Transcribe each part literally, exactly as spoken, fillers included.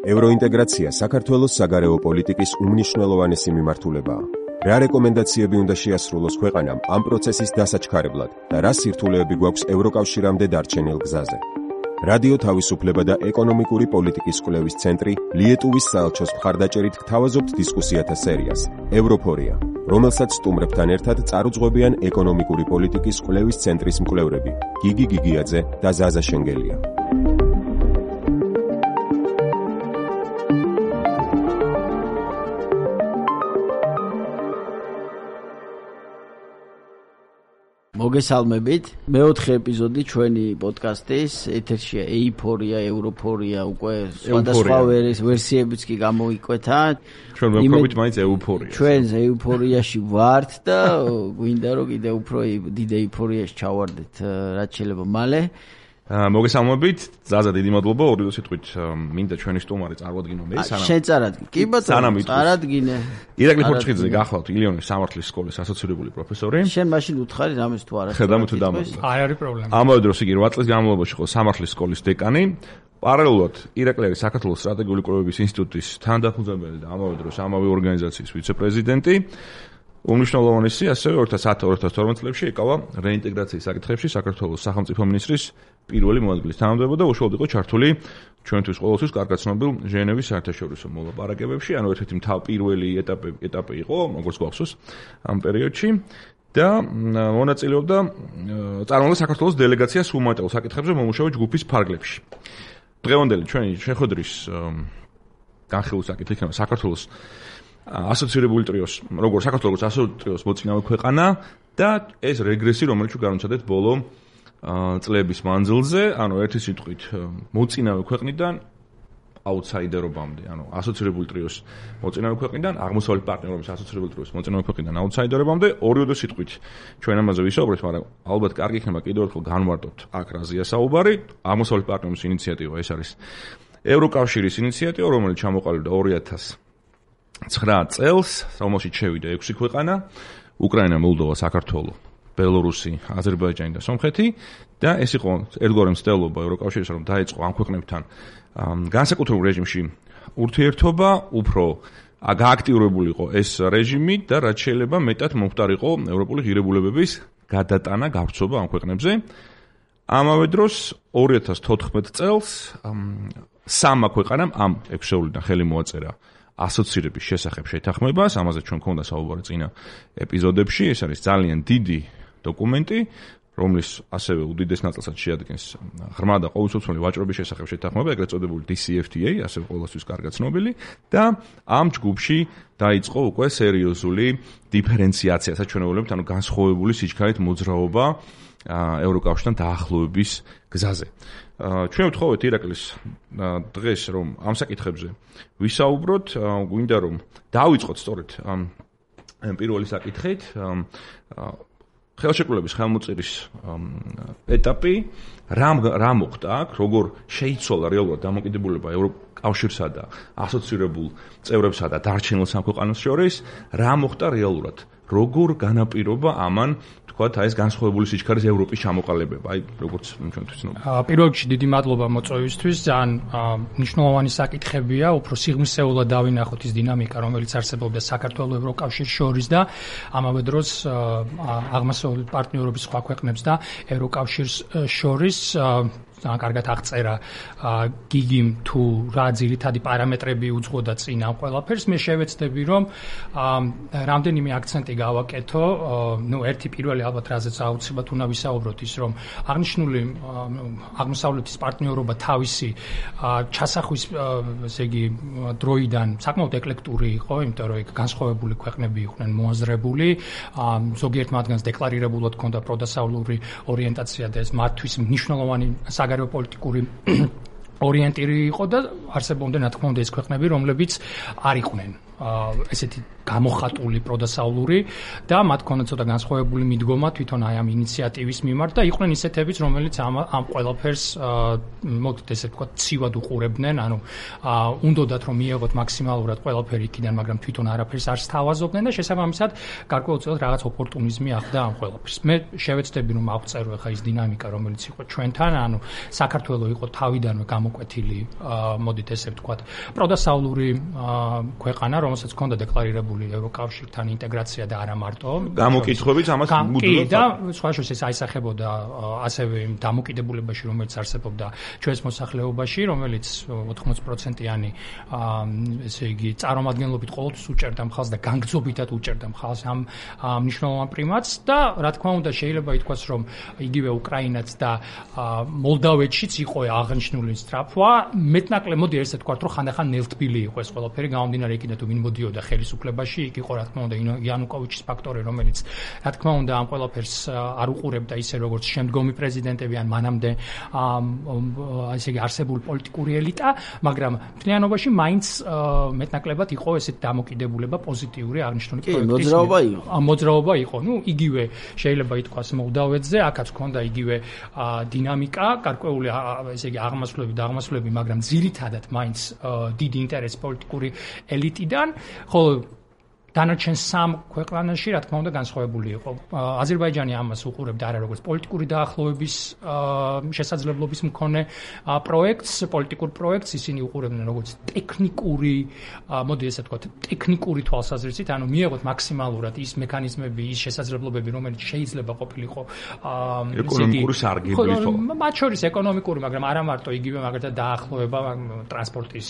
ევროინტეგრაცია საქართველოს საგარეო პოლიტიკის უმნიშვნელოვანესი მიმართულებაა. რა რეკომენდაციები უნდა შეასრულოს ქვეყანამ ამ პროცესის დასაჩქარებლად და რა სირთულეები გვაქვს ევროკავშირამდე დარჩენილ გზაზე. რადიო თავისუფლება და ეკონომიკური პოლიტიკის კვლევის ცენტრი ლიეტუვის საელჩოს მხარდაჭერით გთავაზობთ დისკუსიათა სერიას ევროფორია, რომელსაც სტუმრებთან ერთად წარუძღვებიან ეკონომიკური პოლიტიკის კვლევის ცენტრის მკვლევრები გიგი გიგიაძე და ზაზა შენგელია. მოგესალმებით. მეოთხე ეპიზოდი ჩვენი პოდკასტის ეთერშია ეიფორია, ევროფორია, უკვე სხვადასხვა ვერსიებიც კი გამოიკვეთა. ჩვენ ვეუბნებით მაინც ეუფორია. ჩვენ ეუფორიაში ვართ და გვინდა რომ კიდე უფრო დიდ ეიფორიაში ჩავარდეთ რაც შეიძლება მალე. მოგესალმებით, ზაზა დიდი მადლობა, ორი სიტყვით მინდა ჩვენი სტუმარი წარვადგინო მე სანამ. შენ წარადგინე. კი ბატონო, წარადგინე. ირაკლი ხურჩხიძე გახლავთ ილიონის სამართლის სკოლის ასოცირებული პროფესორი. შენ მაშინ უთხარი რამეს თუ არა. ხედავ თუ დამოუკიდე. არ არის პრობლემა. ამავე დროს იგი რვა წლის განმავლობაში იყო სამართლის სკოლის დეკანი. პარალელურად ირაკლი არის საქართველოს სტრატეგიული კვლევების ინსტიტუტის თანადამფუძნებელი და ამავე დროს ამავე ორგანიზაციის ვიცე-პრეზიდენტი. უმნიშვნელოვანესი ასევე ორი ათას ათი ორი ათას თორმეტ წლებში ეკავა რეინტეგრაციის საკითხებში საქართველოს სახელმწიფო მინისტრის პირველი მოადგილის თანამდებობა და უშუალოდ იყო ჩართული ჩვენთვის ყოველთვის კარგად ცნობილ ჟენევის საერთაშორისო მოლაპარაკებებში, ანუ ერთ-ერთი მთავარი პირველი ეტაპი ეტაპი იყო, როგორც გვახსოვს, ამ პერიოდში და მონაწილეობდა წარმოადგენდა საქართველოს დელეგაციას ჰუმანიტარულ საკითხებზე მომუშავე ჯგუფის ფარგლებში. დღევანდელი ჩვენი შეხვედრის განხილვის საკითხი იქნება საქართველოს ასოცირებული ტრიოს, როგორც საქართველოს ასოცირებული ტრიოს მოწინავე ქვეყანა და ეს რეგრესი, რომელიც განუცადეთ ბოლო წლების მანძილზე, ანუ ერთი სიტყვით მოწინავე ქვეყნიდან აუთსაიდერობამდე, ანუ ასოცირებული ტრიოს მოწინავე ქვეყნიდან აღმოსავლეთ პარტნიორობის ასოცირებული ტრიოს მოწინავე ქვეყნიდან აუთსაიდერობამდე, ორივე სიტყვით ჩვენ ამაზე ვისაუბრებთ, მაგრამ ალბათ კარგი იქნება კიდევ ერთხელ განვარტოთ აქ რაზეა საუბარი. აღმოსავლეთ პარტნიორობის ინიციატივა ეს არის ევროკავშირის ინიციატივა, რომელიც ჩამოყალიბდა ორი ათას ცხრა წელს, რომელშიც შევიდა ექვსი ქვეყანა: უკრაინა, მოლდოვა, საქართველო, ბელორუსი, აზერბაიჯანი და სომხეთი და ეს იყო ერთგვარი მცდელობა ევროკავშირის, რომ დაეწყო ამ ქვეყნებთან განსაკუთრებულ რეჟიმში ურთიერთობა, უფრო გააქტიურებული იყო ეს რეჟიმი და რაც შეიძლება მეტად მომხდარიყო ევროპული ღირებულებების გადატანა, გავრცობა ამ ქვეყნებზე. ამავე დროს ორი ათას თოთხმეტ წელს სამმა ქვეყანამ ამ ექვსეულიდან ხელი მოაწერა ასოცირების შესახებ შეთანხმებას, ამაზე ჩვენ გქონდა საუბარი წინა ეპიზოდებში. ეს არის ძალიან დიდი დოკუმენტი, რომლის ასევე უდიდეს ნაწილსაც შეადგენს ღრმა და ყოველწლიური ვაჭრობის შესახებ შეთანხმება, ეგრეთ წოდებული დი სი ეფ თი ეი, ასევე ყოველთვის კარგად ცნობილი და ამ ჯგუფში დაიწყო უკვე სერიოზული დიფერენციაცია, საჩვენებელებით, ანუ განსხვავებული სიჩქარით მოძრაობა ევროკავშირთან დაახლოების გზაზე. ჩვენ ვთხოვეთ ირაკლის დღეს რომ ამ საკითხებზე ვისაუბროთ, გვინდა რომ დავიწყოთ სწორედ ამ პირველი საკითხით, ხელშეკრულების ხელმოწერის ეტაპი, რა რა მოხდა აქ, როგორ შეიცვალა რეალურად დამოკიდებულება ევროკავშირსა და ასოცირებულ წევრებსა და დარჩენილ სამქვეყანოს შორის, რა მოხდა რეალურად, როგორ განაპირობა ამან თქვათ აი ეს განსხვავებული სიჩქარის ევროპის ჩამოყალიბება, აი როგორც ჩვენთვის ცნობილი. პირველ რიგში დიდი მადლობა მოწვევისთვის, ძალიან მნიშვნელოვანი საკითხებია, უფრო სიღრმისეულად დავინახოთ ის დინამიკა, რომელიც არსებობდა საქართველოს ევროკავშირის შორის და ამავე დროს აღმოსავლეთ პარტნიორობის სხვა ქვეყნებს და ევროკავშირის შორის. ძალიან კარგად აღწერა გიგიმ თუ რა ძირითადი პარამეტრები უძღვოდა წინ ამ ყველაფერს. მე შევეცდები რომ რამდენიმე აქცენტი გავაკეთო. ნუ ერთი პირველი ალბათ რაზეც აუცილებლად უნდა ვისაუბროთ ის რომ აღნიშნული აღმოსავლეთის პარტნიორობა თავისი ჩასახვის ესე იგი დროიდან საკმაოდ ეკლექტური იყო, იმიტომ რომ იქ განსხვავებული ქვეყნები იყვნენ მოაზრებული, ზოგიერთ მათგანს დეკლარირებულად ჰქონდა პროდასავლური ორიენტაცია და ეს მათთვის მნიშვნელოვანი საგარეო პოლიტიკური ორიენტირი იყო და არსებობდნენ რა თქმა უნდა ეს ქვეყნები, რომლებიც არ იყვნენ ესეთი გამოხატული პროდასავლური და მათ ქონდა ცოტა განსხვავებული მიდგომა თვითონ აი ამ ინიციატივის მიმართ და იყვნენ ისეთებიც, რომელიც ამ ამ ყველაფერს მოგდეთ ესე ვთქვათ, ცივად უყურებდნენ, ანუ უნდათ რომ მიიღოთ მაქსიმალურად ყველაფერი იქიდან, მაგრამ თვითონ არაფერს არ სთავაზობდნენ და შესაბამისად გარკვეულწილად რაღაც ოპორტუნიზმი ახდა ამ ყველაფერს. მე შევეცდები რომ ავწერო ახლა ის დინამიკა, რომელიც იყო ჩვენთან, ანუ საქართველოს იყო თავიდანვე გამოკვეთილი, მოდით ესე ვთქვათ, პროდასავლური ქვეყანა, რომელსაც ჰქონდა დეკლარირებული ევროკავშირთან ინტეგრაცია და არა მარტო. გამოკითხვებით ამას მუდმივად და სხვა შორის ეს აისახებოდა ასევე იმ დამოკიდებულებაში, რომელიც არსებობდა ჩვენს მოსახლეობაში, რომელიც ოთხმოცდაათი პროცენტიანი ესე იგი წარმომადგენლობით ყოველთვის უჭერდა მხარს და განგრძობითად უჭერდა მხარს ამ მნიშვნელოვან პრიმატს და რა თქმა უნდა შეიძლება ითქვას, რომ იგივე უკრაინაც და მოლდავეთშიც იყო აღნიშნული სწრაფვა, მეტნაკლებ მოდი ესე ვთქვათ, რომ ხანდახან ნელთბილი იყო ეს ყველაფერი, გამომდინარე იქიდან თუ ვინ მოდიოდა ხელისუფლებაში, იქ იყო რა თქმა უნდა იანუკოვიჩის ფაქტორი, რომელიც რა თქმა უნდა ამ ყველაფერს არ უყურებდა ისე როგორც შემდგომი პრეზიდენტები ან მანამდე ესე იგი არსებული პოლიტიკური ელიტა, მაგრამ მთლიანობაში მაინც მეტნაკლებად იყო ესეთ დამოკიდებულება პოზიტიური აღნიშნული პროექტის. მოძრაობა იყო. მოძრაობა იყო. ნუ იგივე შეიძლება ითქვას მოლდავეთზე, აქაც ჰქონდა იგივე დინამიკა, გარკვეული ესე იგი აღმასვლები და აღმასვლები, მაგრამ ძირითადად მაინც დიდი ინტერესი პოლიტიკური ელიტიდან, ხოლო დანარჩენ სამ ქვეყანაში რა თქმა უნდა განსხვავებული იყო. აზერბაიჯანი ამას უყურებდა არა როგორც პოლიტიკური დაახლოების შესაძლებლობის მქონე პროექტს, პოლიტიკურ პროექტს, ისინი უყურებდნენ როგორც ტექნიკური, მოდი ესე ვთქვათ, ტექნიკური თვალსაზრისით, ანუ მიიღოთ მაქსიმალურად ის მექანიზმები, ის შესაძლებლობები, რომელიც შეიძლება ყოფილიყო ეკონომიკური სარგებლით. მათ შორის ეკონომიკური, მაგრამ არა მარტო იგივე მაგალითად დაახლოება ტრანსპორტის,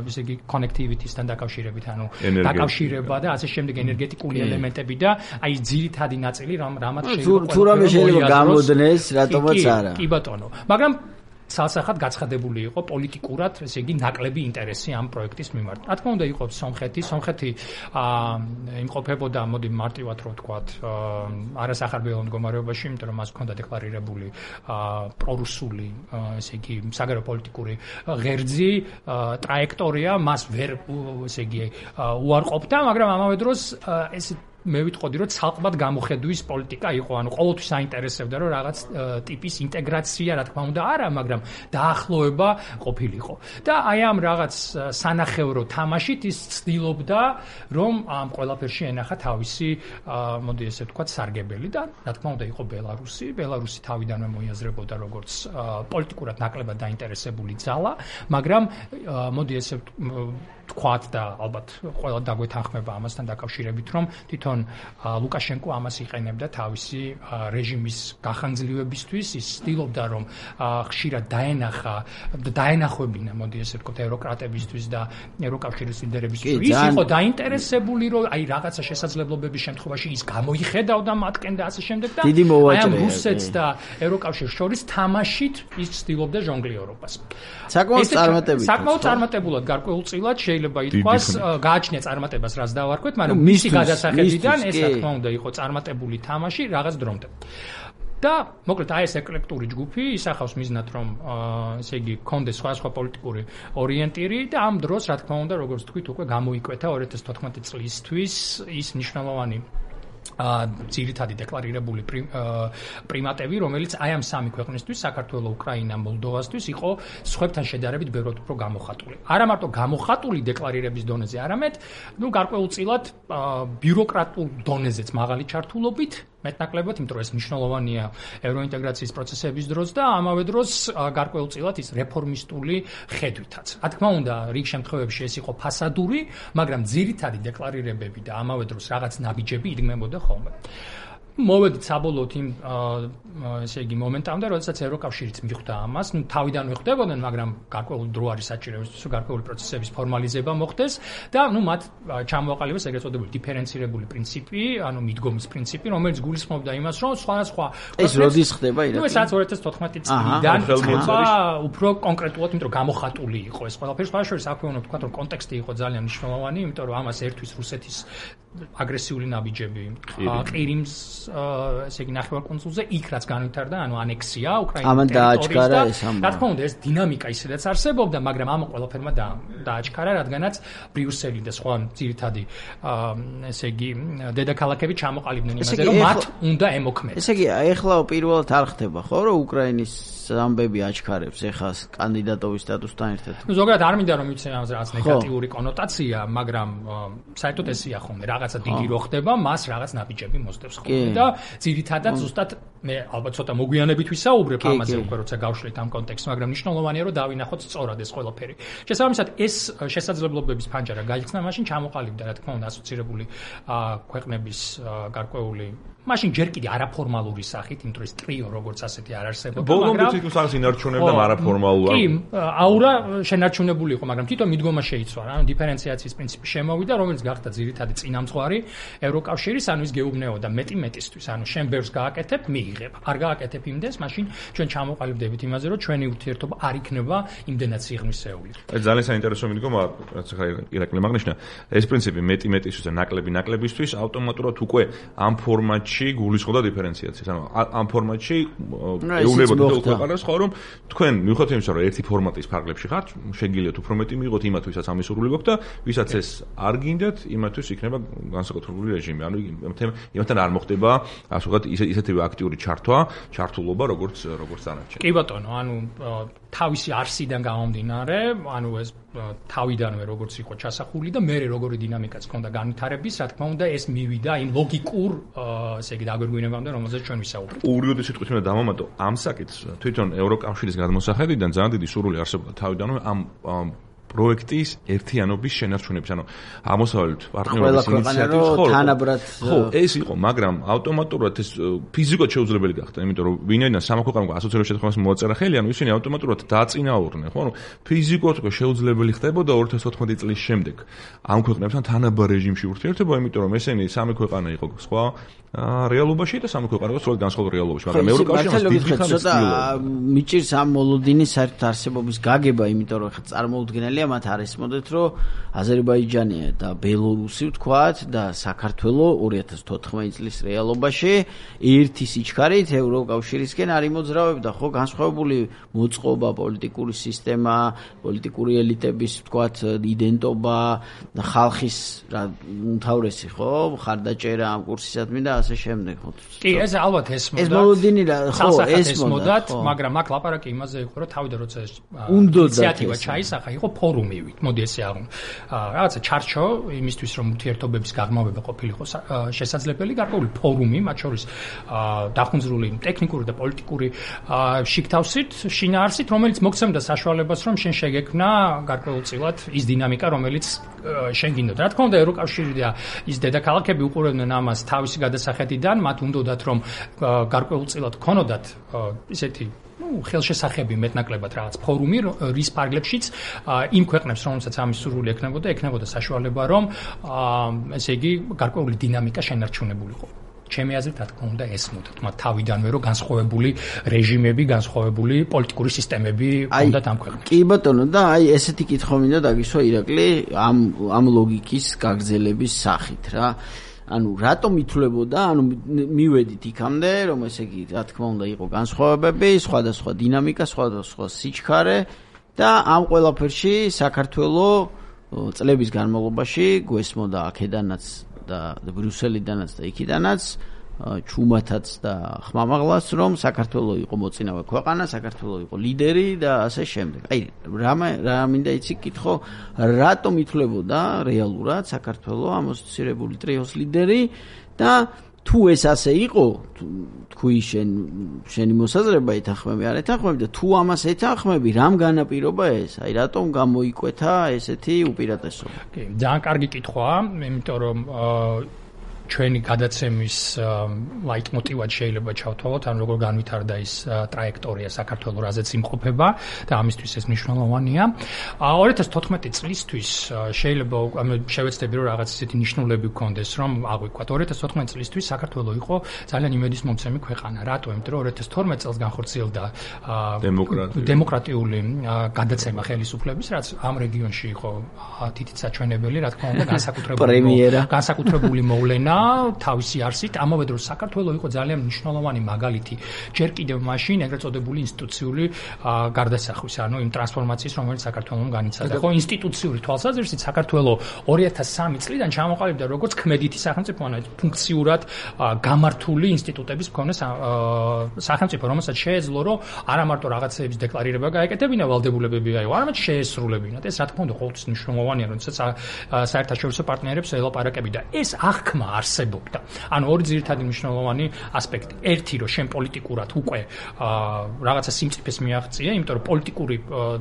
ესე იგი connectivity-სთან დაკავშირებით, ანუ დაკავშირება და ასე შემდეგ ენერგეტიკული ელემენტები და აი ძირითადი ნაწილი რამაც შეიძლება თუ რამე შეიძლება გამოდნეს, რატომაც არა. კი ბატონო. მაგრამ ცალსახად გაცხადებული იყო პოლიტიკურად, ესე იგი ნაკლები ინტერესი ამ პროექტის მიმართ. რა თქმა უნდა იყო სომხეთი, სომხეთი იმყოფებოდა, მოდი მარტივად რო ვთქვათ, არასახარბიელო მდგომარეობაში, იმიტომ რომ მას ჰქონდა დეკლარირებული პრორუსული, ესე იგი საგარეო პოლიტიკური ღერძი, ტრაექტორია, მას ვერ ესე იგი უარყოფდა, მაგრამ ამავე დროს ეს მე ვიტყოდი, რომ ცალკმად გამოხედვის პოლიტიკა იყო, ანუ ყოველთვის აინტერესებდა, რომ რაღაც ტიპის ინტეგრაცია, რა თქმა უნდა, არა, მაგრამ დაახლოება ყოფილიყო. და აი ამ რაღაც სანახევრო თამაშით ის ცდილობდა, რომ ამ ყველაფერში ენახა თავისი, მოდი ესე ვთქვათ, სარგებელი და რა თქმა უნდა იყო ბელარუსი. ბელარუსი თავიდანვე მოიაზრებოდა როგორც პოლიტიკურად ნაკლებად დაინტერესებული ძალა, მაგრამ მოდი ესე ვთქვათ და ალბათ ყველა დაგვეთანხმება ამასთან დაკავშირებით, რომ თვითონ ლუკაშენკო ამას იყენებდა თავისი რეჟიმის გახანგრძლივებისთვის, ის ცდილობდა რომ ხშირად დაენახა და დაენახვებინა, მოდი ესე ვთქვათ, ევროკრატებისთვის და ევროკავშირის ლიდერებისთვის. ის იყო დაინტერესებული, რომ აი რაღაცა შესაძლებლობების შემთხვევაში ის გამოიხედავდა მათკენ და ასე შემდეგ და აი ამ რუსეთს და ევროკავშირს შორის თამაშით ის ცდილობდა ჟონგლიორობას. საკმაოდ წარმატებულად. საკმაოდ წარმატებულად გარკვეულწილად შეიძლება ითქვას, გააჩნია წარმატებას, რაც დავარქვეთ, მაგრამ მისი გადასახედიდან ეს რა თქმა უნდა იყო წარმატებული თამაში რაღაც დრომდე. და მოკლედ აი ეს ეკლექტური ჯგუფი ისახავს მიზნად რომ ესე იგი კონდეს სხვადასხვა პოლიტიკური ორიენტირი და ამ დროს რა თქმა უნდა როგორც თქვით უკვე გამოიკვეთა ორი ათას თოთხმეტი წლისთვის ის მნიშვნელოვანი ძირითადი დეკლარირებული პრიმატები, რომელიც აი ამ სამი ქვეყნისთვის, საქართველოს, უკრაინა, მოლდოვასთვის იყო სხვებთან შედარებით ბევრად უფრო გამოხატული. არა მარტო გამოხატული დეკლარირების დონეზე, არამედ, ნუ გარკვეულწილად ბიუროკრატულ დონეზეც მაღალი ჩართულობით, მეტნაკლებად, იმიტომ რომ ეს მნიშვნელოვანია ევროინტეგრაციის პროცესების დროს და ამავე დროს გარკვეულწილად ის რეფორმისტული ხედვითაც. რა თქმა უნდა, რიგ შემთხვევებში ეს იყო ფასადური, მაგრამ ძირითადი დეკლარირებები და ამავე დროს რაღაც ნაბიჯები იდგმებოდა ხოლმე. მოვედით საბოლოოდ იმ ესე იგი მომენტამდე, როდესაც ევროკავშირიც მიხვდა ამას, ნუ თავიდანვე ხდებოდნენ, მაგრამ გარკვეული დრო არის საჭირო, რომ გარკვეული პროცესების ფორმალიზება მოხდეს და ნუ მათ ჩამოაყალიბეს ეგრეთ წოდებული დიფერენცირებული პრინციპი, ანუ მიდგომის პრინციპი, რომელიც გულისხმობდა იმას, რომ სხვადასხვა ეს როდის ხდება ირაკლი? ნუ ეს ორი ათას თოთხმეტი წლიდან ხდება უფრო კონკრეტულად, იმიტომ რომ გამოხატული იყო ეს ყველაფერი. სხვა შორის აქვე უნდა ვთქვა, რომ კონტექსტი იყო ძალიან მნიშვნელოვანი, იმიტომ რომ ამას ერთვის რუსეთის აგრესიული ნაბიჯები ყირიმს ესე იგი ნახევარკუნძულზე იქ რაც განვითარდა ანუ ანექსია უკრაინის ტერიტორიაზე რა თქმა უნდა ეს დინამიკა ისედაც არსებობდა მაგრამ ამ ყველაფერმა დააჩქარა რადგანაც ბრიუსელი და სხვა ძირითადი ესე იგი დედაქალაქები ჩამოყალიბდნენ იმაზე რომ მათ უნდა ემოქმედონ ესე იგი ეხლა პირველად არ ხდება ხო რომ უკრაინის ამბები აჩქარებს ეხლა კანდიდატობის სტატუსთან ერთად ნუ ზოგადად არ მინდა რომ მიცე ამაზე რაღაც ნეგატიური კონოტაცია მაგრამ საერთოდ ესია ხოლმე რაღაცა დიდი რო ხდება მას რაღაც ნაბიჯები მოსდევს ხოლმე და ძირითადად ზუსტად მე ალბათ ცოტა მოგვიანებით ვისაუბრებ ამაზე უკვე როცა გავშლით ამ კონტექსტს მაგრამ მნიშვნელოვანია რომ დავინახოთ სწორად ეს ყველაფერი შესაბამისად ეს შესაძლებლობების ფანჯარა გაიხსნა მაშინ ჩამოყალიბდა რა თქმა უნდა ასოცირებული ქვეყნების გარკვეული მაშინ ჯერ კიდე არაფორმალური სახით იმ დროს ტრიო როგორც ასეთი არ არსებობდა მაგრამ ბოლომდე თვითონ სანს ინარჩუნებდა არაფორმალურად კი აურა შენარჩუნებული იყო მაგრამ თვითონ მიდგომა შეიცვალა ანუ დიფერენციაციის პრინციპი შემოვიდა რომელიც გახდა ძირითადი წინამძღვარი ევროკავშირის ანუ ის გეუბნეოდა მეტი მეტისთვის ანუ შენ ბევრს გააკეთებ მიიღებ არ გააკეთებ იმდენს მაშინ ჩვენ ჩამოყალიბდებით იმაზე რომ ჩვენი ურთიერთობა არ იქნება იმდენად სიღრმისეული ეს ძალიან საინტერესო მიდგომა რაც ახლა ირაკლი აღნიშნა ეს პრინციპი მეტი მეტისთვის და ნაკლები ნაკლებისთვის ავტომატურად უკვე ამ ფორმატში გულისხმობდა დიფერენციაციას ანუ ამ ფორმატში ეუბნებოდა ქვეყანას ხო რომ თქვენ მიუხედავად იმისა რომ ერთი ფორმატის ფარგლებში ხართ შეგიძლიათ უფრო მეტი მიიღოთ იმათვისაც ამისურვილი გვაქვს და ვისაც ეს არ გინდათ იმათთვის იქნება განსაკუთრებული რეჟიმი ანუ იმათთან არ მოხდება ასე ვთქვათ ისეთივე აქტიური ჩართვა ჩართულობა როგორც როგორც დანარჩენი კი ბატონო ანუ თავისი არსიდან გამომდინარე ანუ ეს თავიდანვე როგორც იყო ჩასახული და მე როგორი დინამიკაც ჰქონდა განვითარების რა თქმა უნდა ეს მივიდა იმ ლოგიკურ ესე იგი დაგვირგვინებამდე რომელზეც ჩვენ ვისაუბრეთ ურიოდი სიტყვით მე დავამატო ამ საკითხს თვითონ ევროკავშირის გადმოსახედიდან ძალიან დიდი სურვილი არსებობდა თავიდანვე ამ პროექტის ერთიანობის შენარჩუნების, ანუ აღმოსავლეთ პარტნიორობის ინიციატივის ხო, თანაბრად ხო, ეს იყო, მაგრამ ავტომატურად ეს ფიზიკურად შეუძლებელი გახდა, იმიტომ რომ ვინაიდან სამოქალაქო ასოციაციების შეთანხმებას მოაწერა ხელი, ანუ ისინი ავტომატურად დააწინაურდნენ, ხო, ანუ ფიზიკურად უკვე შეუძლებელი ხდებოდა ორი ათას ოთხმოცდაათი წლის შემდეგ ამ ქვეყნებთან თანაბარ რეჟიმში ურთიერთობა, იმიტომ რომ ესენი სამი ქვეყანა იყო სხვა რეალობაში და სამი ქვეყანა იყო სწორედ განსხვავებული რეალობაში, მაგრამ ევროკავშირის დიდი ხანი ცოტა მიჭირს ამ მოლოდინის საერთოდ არსებობის გაგება, იმიტომ რომ ხა წარმოუდგენელია მათ არ ესმოდეთ, რომ აზერბაიჯანი და ბელორუსი ვთქვათ და საქართველო ორი ათას თოთხმეტი წლის რეალობაში ერთი სიჩქარით ევროკავშირისკენ არ იმოძრავებდა, ხო, განსხვავებული მოწყობა, პოლიტიკური სისტემა, პოლიტიკური ელიტების ვთქვათ იდენტობა, ხალხის რა უმთავრესი, ხო, ხარდაჭერა ამ კურსისადმი და ასე შემდეგ, ხო. კი, ეს ალბათ ესმოდათ. ეს მოლოდინი რა, ხო, ესმოდათ, მაგრამ აქ ლაპარაკი იმაზე იყო, რომ თავიდან როცა ინიციატივა ჩაისახა, იყო ფორუმივით, მოდი ესე აღუნ. რაღაცა ჩარჩო იმისთვის რომ ურთიერთობების გაღრმავება ყოფილიყო შესაძლებელი, გარკვეული ფორუმი, მათ შორის დახუნძრული ტექნიკური და პოლიტიკური შიგთავსით, შინაარსით, რომელიც მოგცემდა საშუალებას, რომ შენ შეგექმნა გარკვეულწილად ის დინამიკა, რომელიც შენ გინდოდა. რა თქმა უნდა, ევროკავშირი და ის დედაქალაქები უყურებდნენ ამას თავისი გადასახედიდან, მათ უნდათ რომ გარკვეულწილად ქონოდათ ისეთი ну, ხელშესახები მეტნაკლებად რაღაც ფორუმი, რის ფარგლებშიც იმ ქვეყნებს, რომელსაც ამის სურვილი ექნებოდა, ექნებოდა საშუალება, რომ ესე იგი გარკვეული დინამიკა შენარჩუნებულიყო. ჩემი აზრით, რა თქმა უნდა, ესმოდათ მათ თავიდანვე, რომ განსხვავებული რეჟიმები, განსხვავებული პოლიტიკური სისტემები ჰქონდათ ამ ქვეყნებს. კი ბატონო, და აი ესეთი კითხვა მინდა დაგისვა ირაკლი ამ ამ ლოგიკის გაგრძელების სახით რა. ანუ რატომ ითვლებოდა, ანუ მივედით იქამდე, რომ ესე იგი, რა თქმა უნდა, იყო განსხვავებები, სხვადასხვა დინამიკა, სხვადასხვა სიჩქარე და ამ ყველაფერში საქართველოს წლების განმავლობაში გვესმოდა აქედანაც და ბრიუსელიდანაც და იქიდანაც ჩუმათაც და ხმამაღლას, რომ საქართველოს იყო მოწინავე ქვეყანა, საქართველოს იყო ლიდერი და ასე შემდეგ. აი, რა რა მინდა იცი კითხო, რატომ ითვლებოდა რეალურად საქართველოს ამოსცირებული ტრიოს ლიდერი და თუ ეს ასე იყო, თქვი შენ შენი მოსაზრება ეთანხმები, არ ეთანხმები და თუ ამას ეთანხმები, რამ განაპირობა ეს? აი, რატომ გამოიკვეთა ესეთი უპირატესობა? კი, ძალიან კარგი კითხვაა, იმიტომ რომ ჩვენი გადაცემის ლაიტმოტივად შეიძლება ჩავთვალოთ, ან როგორ განვითარდა ის ტრაექტორია საქართველოს, რაზეც იმყოფება და ამისთვის ეს მნიშვნელოვანია. ორი ათას თოთხმეტი წლისთვის შეიძლება შევეცდები რომ რაღაც ისეთი ნიშნულები გქონდეს, რომ აღვიქვათ. ორი ათას თოთხმეტი წლისთვის საქართველოს იყო ძალიან იმედისმომცემი ქვეყანა. რატო? იმიტომ რომ ორი ათას თორმეტი წელს განხორციელდა დემოკრატიული გადაცემა ხელისუფლების, რაც ამ რეგიონში იყო თითით საჩვენებელი, რა თქმა უნდა, განსაკუთრებული განსაკუთრებული მოვლენა თავისი არსით. ამავე დროს საქართველოს იყო ძალიან მნიშვნელოვანი მაგალითი ჯერ კიდევ მაშინ ეგრეთ წოდებული ინსტიტუციური გარდასახვის, ანუ იმ ტრანსფორმაციის, რომელიც საქართველოს განიცადა. ხო, ინსტიტუციური თვალსაზრისით საქართველოს ორი ათას სამი წლიდან ჩამოყალიბდა როგორც ქმედითი სახელმწიფო, ანუ ფუნქციურად გამართული ინსტიტუტების მქონე სახელმწიფო, რომელსაც შეეძლო, რომ არა მარტო რაღაცეების დეკლარირება გაეკეთებინა ვალდებულებები აიღო, არამედ შეესრულებინათ. ეს რა თქმა უნდა ყოველთვის მნიშვნელოვანია, როდესაც საერთაშორისო პარტნიორებს ელაპარაკები და ეს აღქმა არსებობდა. ანუ ორი ძირითადი მნიშვნელოვანი ასპექტი. ერთი, რომ შენ პოლიტიკურად უკვე რაღაცა სიმწიფეს მიაღწია, იმიტომ რომ პოლიტიკური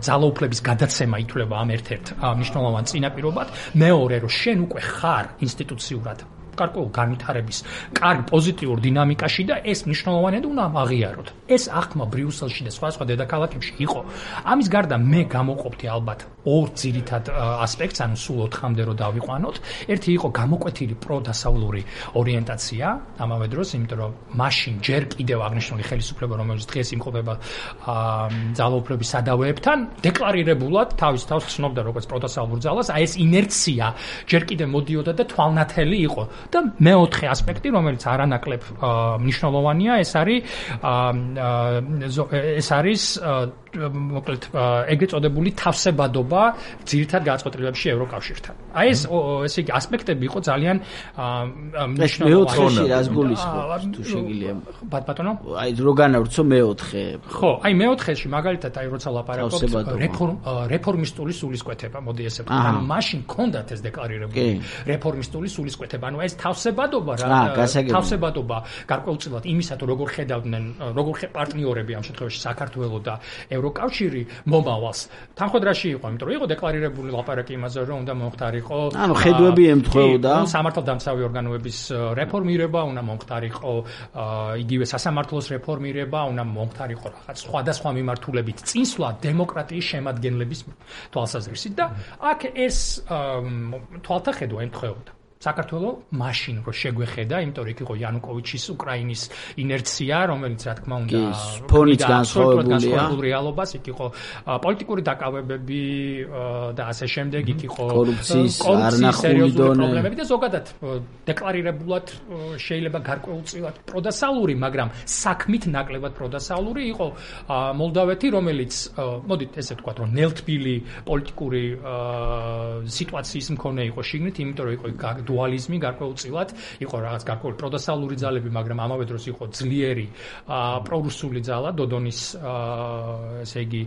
ძალაუფლების გადაცემა ითვლება ამ ერთ-ერთ მნიშვნელოვან წინაპირობად. მეორე, რომ შენ უკვე ხარ ინსტიტუციურად გარკვეულ განვითარების კარგ პოზიტიურ დინამიკაში და ეს მნიშვნელოვანია და უნდა აღიაროთ. ეს აღქმა ბრიუსელში და სხვა სხვა დედაქალაქებში იყო. ამის გარდა მე გამოყოფთი ალბათ ორ ძირითად ასპექტს, ანუ სულ ოთხამდე რო დავიყვანოთ. ერთი იყო გამოკვეთილი პროდასავლური ორიენტაცია, ამავე დროს, იმიტომ რომ მაშინ ჯერ კიდევ აღნიშნული ხელისუფლება, რომელიც დღეს იმყოფება ძალაუფლების სადავეებთან, დეკლარირებულად თავის თავს ცნობდა როგორც პროდასავლურ ძალას, აი ეს ინერცია ჯერ კიდევ მოდიოდა და თვალნათელი იყო. და მეოთხე ასპექტი, რომელიც არანაკლებ მნიშვნელოვანია, ეს არის ეს არის მოკლედ ეგრეთ წოდებული თავსებადობა ძირითად გაწყვეტილებებში ევროკავშირთან. აი ეს ესე იგი ასპექტები იყო ძალიან მნიშვნელოვანი. მეოთხეში რას გულისხმობ თუ შეგიძლია? ბატონო? აი რო განავრცო მეოთხე. ხო, აი მეოთხეში მაგალითად აი როცა ლაპარაკობთ რეფორმ რეფორმისტული სულისკვეთება, მოდი ესე ვთქვა. ანუ მაშინ ჰქონდათ ეს დეკლარირებული რეფორმისტული სულისკვეთება. ანუ ეს თავსებადობა რა თავსებადობა გარკვეულწილად იმისა თუ როგორ ხედავდნენ როგორ პარტნიორები ამ შემთხვევაში საქართველოს და ევროკავშირი მომავალს თანხმდრაში იყო, იმიტომ რომ იყო დეკლარირებული ლაპარაკი იმაზე, რომ უნდა მომხდარიყო ანუ ხედვები ემთხვეოდა სამართალდამცავი ორგანოების რეფორმირება, უნდა მომხდარიყო იგივე სასამართლოს რეფორმირება, უნდა მომხდარიყო რაღაც სხვადასხვა მიმართულებით წინსვლა დემოკრატიის შემადგენლების თვალსაზრისით და აქ ეს თვალთახედვა ემთხვეოდა. საქართველოს მაშინ რო შეგვეხედა, იმიტომ რომ იქ იყო იანუკოვიჩის უკრაინის ინერცია, რომელიც რა თქმა უნდა ფონით განსხვავებულია რეალობას, იქ იყო პოლიტიკური დაკავებები და ასე შემდეგ, იქ იყო კორუფციის არნახული პრობლემები და ზოგადად დეკლარირებულად შეიძლება გარკვეულწილად პროდასალური, მაგრამ საქმით ნაკლებად პროდასალური იყო მოლდავეთი, რომელიც მოდით ესე ვთქვათ, რომ ნელთბილი პოლიტიკური სიტუაციის მქონე იყო შიგნით, იმიტომ რომ იყო დუალიზმი გარკვეულწილად, იყო რაღაც გარკვეული პროდასალური ძალები, მაგრამ ამავე დროს იყო ძლიერი პრორუსული ძალა, დოდონის ესე იგი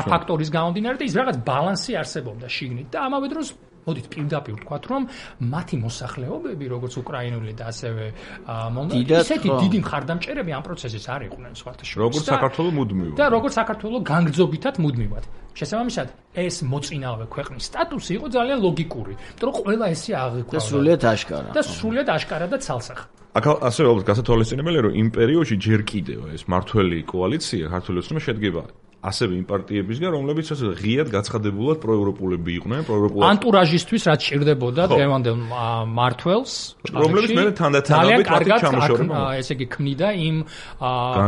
ფაქტორის გამომდინარე და ის რაღაც ბალანსი არსებობდა შიგნით და ამავე დროს მოდით პირდაპირ ვთქვათ, რომ მათი მოსახლეობები, როგორც უკრაინული და ასევე მოლდოვური, ისეთი დიდი მხარდამჭერები ამ პროცესის არ იყვნენ სხვათა შორის. როგორც საქართველოს მუდმივად. და როგორც საქართველოს განგრძობითად მუდმივად. შესაბამისად, ეს მოწინავე ქვეყნის სტატუსი იყო ძალიან ლოგიკური, იმიტომ რომ ყველა ესე აღიქვამდა. და სრულიად აშკარა. და სრულიად აშკარა და ცალსახა. აქ ასევე ალბათ გასათვალისწინებელია, რომ იმ პერიოდში ჯერ კიდევ ეს მართველი კოალიცია ქართული ოცნება შედგება ასევე იმ პარტიებისგან, რომლებიც ასე ღიად გაცხადებულად პროევროპულები იყვნენ, პროევროპულად ანტურაჟისთვის რაც ჭირდებოდა დღევანდელ მართველს, რომლებიც მე თანდათანობით მათი ჩამოშორება, ესე იგი ქმნიდა იმ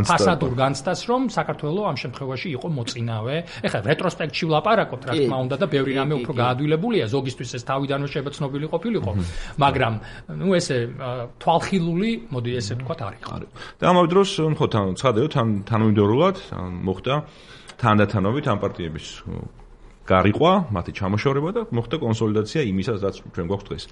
ფასადურ განცდას, რომ საქართველოს ამ შემთხვევაში იყო მოწინავე. ეხლა რეტროსპექტში ვლაპარაკობთ, რა თქმა უნდა და ბევრი რამე უფრო გაადვილებულია, ზოგისთვის ეს თავიდანვე შეიძლება ცნობილი ყოფილიყო, მაგრამ ნუ ესე თვალხილული, მოდი ესე ვთქვათ, არ იყო. და ამავე დროს ხო თან ცხადეო, თან თანამიმდევრულად მოხდა თანდათანობით ამ პარტიების გარიყვა, მათი ჩამოშორება და მოხდა კონსოლიდაცია იმისას, რაც ჩვენ გვაქვს დღეს.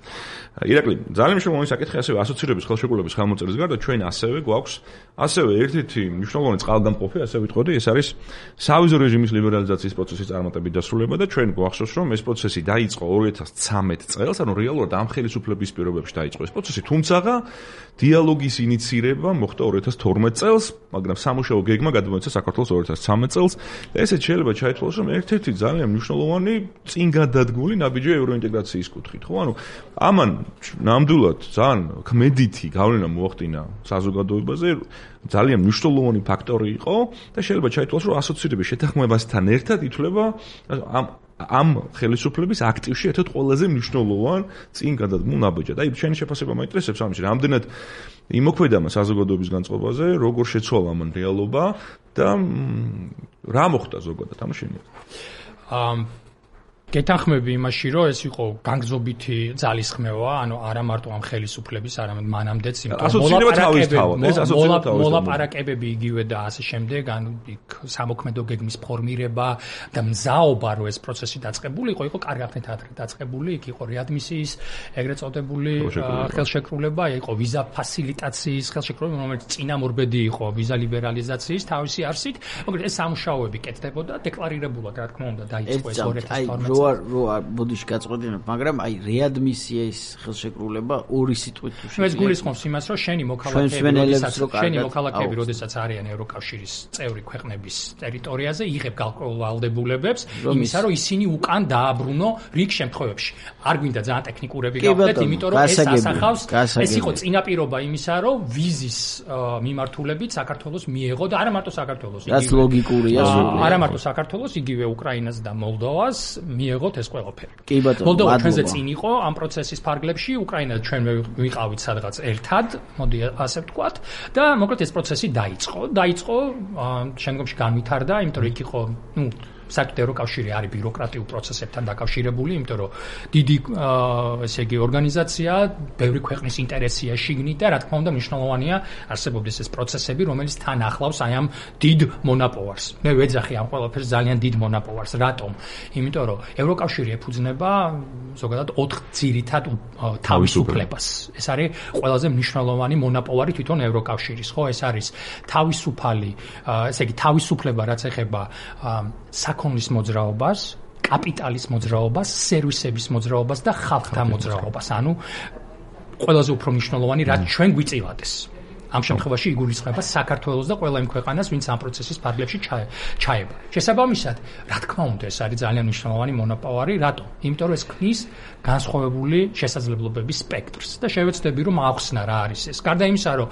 ირაკლი, ძალიან მნიშვნელოვანი საკითხი ასევე ასოცირების ხელშეკრულების ხელმოწერის გარდა ჩვენ ასევე გვაქვს ასევე ერთ-ერთი მნიშვნელოვანი წყალგამყოფი, ასე ვიტყოდი, ეს არის სავიზო რეჟიმის ლიბერალიზაციის პროცესის წარმატებით დასრულება და ჩვენ გვახსოვს, რომ ეს პროცესი დაიწყო ორი ათას ცამეტი წელს, ანუ რეალურად ამ ხელისუფლების პირობებში დაიწყო ეს პროცესი, თუმცა დიალოგის ინიცირება მოხდა ორი ათას თორმეტი წელს, მაგრამ სამუშაო გეგმა გადმოეცა საქართველოს ორი ათას ცამეტი წელს და ესეც შეიძლება ჩაითვალოს, რომ ერთ-ერთი ძალიან მნიშვნელოვანი წინ გადადგმული ნაბიჯია ევროინტეგრაციის კუთხით, ხო? ანუ ამან ნამდვილად ძალიან ქმედითი გავლენა მოახდინა საზოგადოებაზე, ძალიან მნიშვნელოვანი ფაქტორი იყო და შეიძლება ჩაითვალოს, რომ ასოცირების შეთანხმებასთან ერთად ითვლება ამ ამ ხელისუფლების აქტივში ერთ-ერთ ყველაზე მნიშვნელოვან წინ გადადგმულ ნაბიჯად. აი, ჩვენი შეფასება მაინტერესებს ამაში, რამდენად იმოქმედა საზოგადოების განწყობაზე, როგორ შეცვალა მან რეალობა და რა მოხდა ზოგადად ამ შენია. ამ გეთანხმები იმაში, რომ ეს იყო განგზობითი ძალისხმევა, ანუ არა მარტო ამ ხელისუფლების, არამედ მანამდეც მოლაპარაკებები იგივე და ასე შემდეგ, ანუ სამოქმედო გეგმის ფორმირება და მზაობა, რომ ეს პროცესი დაწყებულიყო, იყო კარგად ადრე დაწყებული, იქ იყო რეადმისიის ეგრეთ წოდებული ხელშეკრულება, იყო ვიზა ფასილიტაციის ხელშეკრულება, რომელიც წინამორბედი იყო ვიზა ლიბერალიზაციის თავისი არსით, მაგრამ ეს სამუშაოები კეთდებოდა, დეკლარირებულად, რა თქმა უნდა, დაიწყო ეს ორი ათას თორმეტ რო რო ბოდიში გაწყვეტინებ, მაგრამ აი რეადმისიის ხელშეკრულება ორი სიტყვით თუ შეიძლება. ეს გულისხმობს იმას, რომ შენი მოქალაქეები, შენი მოქალაქეები, როდესაც არიან ევროკავშირის წევრი ქვეყნების ტერიტორიაზე, იღებ გარკვეულ ვალდებულებებს, იმისა, რომ ისინი უკან დააბრუნო რიგ შემთხვევებში. არ გვინდა ძალიან ტექნიკურები გავხდეთ, იმიტომ რომ ეს ასახავს, ეს იყო წინაპირობა იმისა, რომ ვიზის მიმართულებით საქართველოს მიეღო და არა მარტო საქართველოს, რაც ლოგიკურია. არა მარტო საქართველოს, იგივე უკრაინას და მოლდოვას მიეღოთ ეს ყველაფერი. კი ბატონო, მოლდოვა ჩვენზე წინ იყო ამ პროცესის ფარგლებში, უკრაინა ჩვენ ვიყავით სადღაც ერთად, მოდი ასე ვთქვათ, და მოკლედ ეს პროცესი დაიწყო. დაიწყო, შემდგომში განვითარდა, იმიტომ რომ იქ იყო, ნუ საერთოდ ევროკავშირი არის ბიუროკრატიულ პროცესებთან დაკავშირებული, იმიტომ რომ დიდი ესე იგი ორგანიზაცია, ბევრი ქვეყნის ინტერესია შიგნით და რა თქმა უნდა მნიშვნელოვანია არსებობდეს ეს პროცესები, რომელიც თან ახლავს აი ამ დიდ მონაპოვარს. მე ვეძახი ამ ყველაფერს ძალიან დიდ მონაპოვარს. რატომ? იმიტომ რომ ევროკავშირი ეფუძნება ზოგადად ოთხ ძირითად თავისუფლებას. ეს არის ყველაზე მნიშვნელოვანი მონაპოვარი თვითონ ევროკავშირის, ხო? ეს არის თავისუფალი, ესე იგი თავისუფლება, რაც ეხება საქონლის მოძრაობას, კაპიტალის მოძრაობას, სერვისების მოძრაობას და ხალხთა მოძრაობას. ანუ ყველაზე უფრო მნიშვნელოვანი, რაც ჩვენ გვიწილადეს. ამ შემთხვევაში იგულისხმება საქართველოს და ყველა იმ ქვეყანას, ვინც ამ პროცესის ფარგლებში ჩაება. შესაბამისად, რა თქმა უნდა, ეს არის ძალიან მნიშვნელოვანი მონოპოლარი, რატომ? იმიტომ რომ ეს ქმნის განსხვავებული შესაძლებლობების სპექტრს და შევეცდები რომ ახსნა რა არის ეს. გარდა იმისა, რომ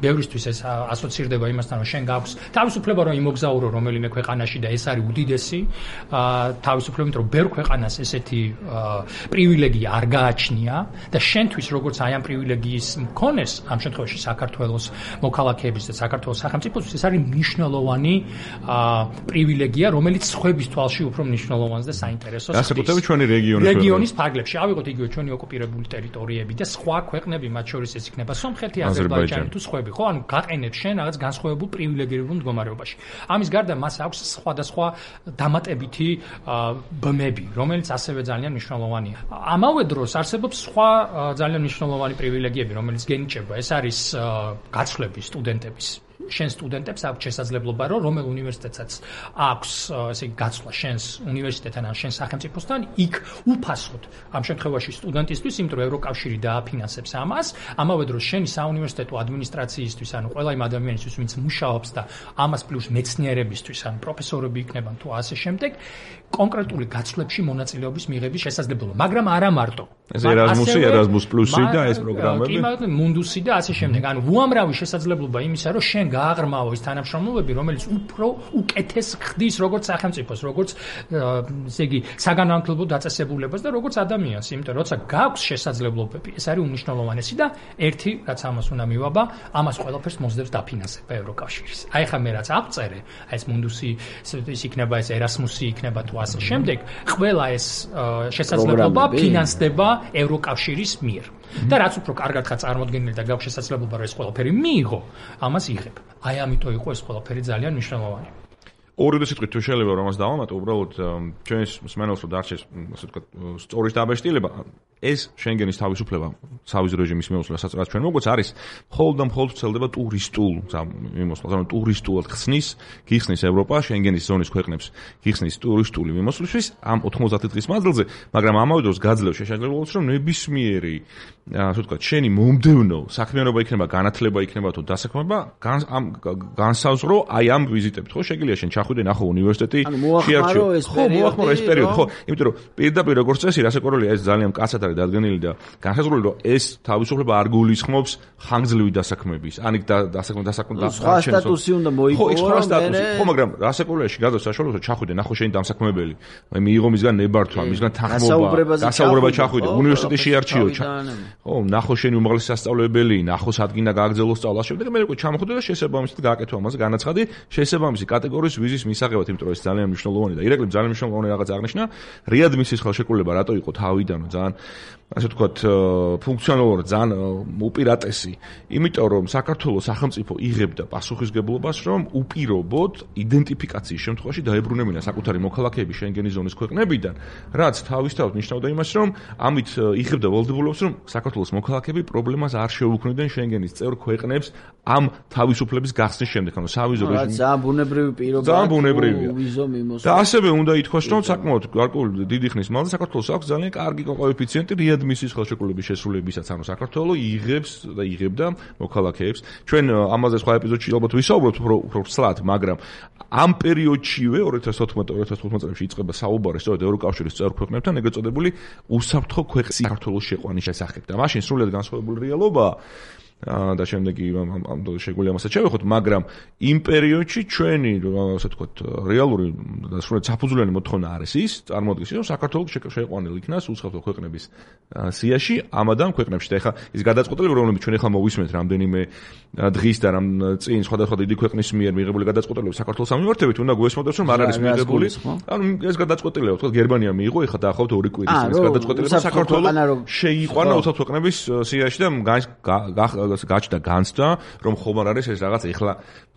ბევრისთვის ეს ასოცირდება იმასთან, რომ შენ გაქვს თავისუფლება რომ იმოგზაურო რომელიმე ქვეყანაში და ეს არის უდიდესი თავისუფლება, იმიტომ რომ ბევრ ქვეყანას ესეთი პრივილეგია არ გააჩნია და შენთვის როგორც აი ამ პრივილეგიის მქონეს, ამ შემთხვევაში საქართველოს მოქალაქეების და საქართველოს სახელმწიფოს ეს არის მნიშვნელოვანი პრივილეგია, რომელიც სხვების თვალში უფრო მნიშვნელოვანს და საინტერესოს ხდის. განსაკუთრებით ჩვენი რეგიონის რეგიონის ფარგლებში, ავიღოთ იგივე ჩვენი ოკუპირებული ტერიტორიები და სხვა ქვეყნები, მათ შორის ეს იქნება სომხეთი, აზერბაიჯანი თუ სხვები, ხო? ანუ გაყენებს შენ რაღაც განსხვავებულ პრივილეგირებულ მდგომარეობაში. ამის გარდა მას აქვს სხვადასხვა დამატებითი ბმები, რომელიც ასევე ძალიან მნიშვნელოვანია. ამავე დროს არსებობს სხვა ძალიან მნიშვნელოვანი პრივილეგიები, რომელიც გენიჭება. ეს არის გაცვლები სტუდენტების. შენ სტუდენტებს აქვს შესაძლებლობა, რომ რომელ უნივერსიტეტსაც აქვს ესე იგი გაცვლა შენს უნივერსიტეტთან ან შენ სახელმწიფოსთან, იქ უფასოდ ამ შემთხვევაში სტუდენტისთვის, იმიტომ რომ ევროკავშირი დააფინანსებს ამას, ამავე დროს შენი საუნივერსიტეტო ადმინისტრაციისთვის, ანუ ყველა იმ ადამიანისთვის, ვინც მუშაობს და ამას პლუს მეცნიერებისთვის, ანუ პროფესორები იქნებიან თუ ასე შემდეგ, კონკრეტული გაცვლებში მონაწილეობის მიღების შესაძლებლობა, მაგრამ არა მარტო. ეს ერაზმუსი, ერაზმუს პლუსი და ეს პროგრამები. კი, მაგრამ მუნდუსი და ასე შემდეგ. ანუ უამრავი შესაძლებლობა იმისა, რომ შენ გააღრმავო ის თანამშრომლობები, რომელიც უფრო უკეთეს ხდის როგორც სახელმწიფოს, როგორც ესე იგი საგანმანათლებლო დაწესებულებას და როგორც ადამიანს, იმიტომ რომ როცა გაქვს შესაძლებლობები, ეს არის უმნიშვნელოვანესი და ერთი, რაც ამას უნდა მივაბა, ამას ყველაფერს მოსდევს დაფინანსება ევროკავშირის. აი ხა მე რაც აღწერე, აი ეს მუნდუსი, ის იქნება ეს ერასმუსი იქნება თუ ასე შემდეგ, ყველა ეს შესაძლებლობა ფინანსდება ევროკავშირის მიერ. და რაც უფრო კარგად ხარ წარმოდგენილი და გაქვს შესაძლებლობა რომ ეს ყველაფერი მიიღო, ამას იღებ. აი ამიტომ იყო ეს ყველაფერი ძალიან მნიშვნელოვანი. ორი სიტყვით თუ შეიძლება რომ ამას დავამატო, უბრალოდ ჩვენს მსმენელს რომ დარჩეს, ასე ვთქვათ, სწორის დაბეჭდილება, ეს შენგენის თავისუფლება, სავიზო რეჟიმის მიმოსვლა, რაც ჩვენ მოგვეც არის, მხოლოდ და მხოლოდ ვრცელდება ტურისტულ მიმოსვლას, ანუ ტურისტულად ხსნის, გიხსნის ევროპა შენგენის ზონის ქვეყნებს, გიხსნის ტურისტული მიმოსვლისთვის ამ ოთხმოცდაათი დღის მანძილზე, მაგრამ ამავე დროს გაძლევს შესაძლებლობას, რომ ნებისმიერი, ასე ვთქვათ, შენი მომდევნო საქმიანობა იქნება, განათლება იქნება თუ დასაქმება, ამ განსაზღვრო აი ამ ვიზიტებით, ხო, შეგიძლია შენ ჩახვიდე ნახო უნივერსიტეტი, შეარჩიო ხო, მოახმარო ეს პერიოდი, ხო, იმიტომ რომ პირდაპირ როგორც წესი, რასაკვირველია, ეს ძალიან მკაცად არის დადგენილი და განსაზღვრული, რომ ეს თავისუფლება არ გულისხმობს ხანგრძლივი დასაქმების, ანიკ დასაქმება დასაქმება სხვა სტატუსი უნდა მოიპოვო, ხო, სხვა სტატუსი, ხო, მაგრამ რასაკვირველია, გაძლევს საშუალებას, ჩახვიდე, ნახო შენი დამსაქმებელი, აი მიიღო მისგან ნებართვა, მისგან თანხმობა, გასაუბრება ჩახვიდე, უნივერსიტეტი შეარჩიო, ხო, ნახო შენი უმაღლესი სასწავლებელი, ნახო სადგინა გააგრძელო სწავლა, შემდეგ მე უკვე ჩამოხვიდე და შესაბამისად გააკეთო ამაზე განაცხადი, შესაბამისი კატეგორიის ვიზის მისაღებად, იმიტომ რომ ეს ძალიან მნიშვნელოვანია და ირაკლი ძალიან მნიშვნელოვანი რაღაც აღნიშნა, რეადმისიის ხელშეკრულება რატო იყო თავიდანო ძალიან ასე ვთქვათ, ფუნქციონალურად ძალიან უპირატესი, იმიტომ რომ საქართველოს სახელმწიფო იღებდა პასუხისგებლობას, რომ უპირობოდ იდენტიფიკაციის შემთხვევაში დაებრუნებინა საკუთარი მოქალაქეები შენგენის ზონის ქვეყნებიდან, რაც თავისთავად ნიშნავდა იმას, რომ ამით იღებდა ვალდებულებას, რომ საქართველოს მოქალაქეები პრობლემას არ შეუქმნიდნენ შენგენის წევრ ქვეყნებს ამ თავისუფლების გახსნის შემდეგ, ანუ სავიზო რეჟიმი. ძალიან ბუნებრივი პირობაა. ძალიან ბუნებრივია. ვიზო მიმოსვლა. და ასევე უნდა ითქვას, რომ საკმაოდ გარკვეული დიდი ხნის მანძილზე საქართველოს აქვს ძალიან კარგი კოეფიციენტი რეადმისიის ხელშეკრულების შესრულებისაც, ანუ საქართველოს იღებს და იღებდა მოქალაქეებს. ჩვენ ამაზე სხვა ეპიზოდში ალბათ ვისაუბრებთ უფრო უფრო ცლად, მაგრამ ამ პერიოდშივე ორი ათას თოთხმეტ ორი ათას თხუთმეტ წელს იწყება საუბარი სწორედ ევროკავშირის წევრ ქვეყნებთან ეგრეთ წოდებული უსაფრთხო ქვეყნის საქართველოს შეყვანის შესახებ. და მაშინ სრულიად განსხვავებული რეალობაა. და შემდეგი ამ შეგვიძლია ამასაც შევეხოთ, მაგრამ იმ პერიოდში ჩვენი, ასე ვთქვათ, რეალური და სრულიად საფუძვლიანი მოთხოვნა არის ის, წარმოადგენს ის, რომ საქართველოს შეყვანილ იქნას უსაფრთხო ქვეყნების სიაში, ამადამ ქვეყნებში. და ეხლა ის გადაწყვეტილება, რომლებიც ჩვენ ეხლა მოვისმენთ რამდენიმე დღის და რამ წინ სხვადასხვა დიდი ქვეყნის მიერ მიღებული გადაწყვეტილებები საქართველოს ამმიმართებით, უნდა გვესმოდოს, რომ არ არის მიღებული. ანუ ეს გადაწყვეტილება, თქვა გერმანია მიიღო, ეხლა დაახლოებით ორი კვირის ეს გადაწყვეტილება საქართველოს შეიყვანა უსაფრთხო ქვეყნების სიაში და გაჩნდა განცდა, რომ ხომ არ არის ეს რაღაც ეხლა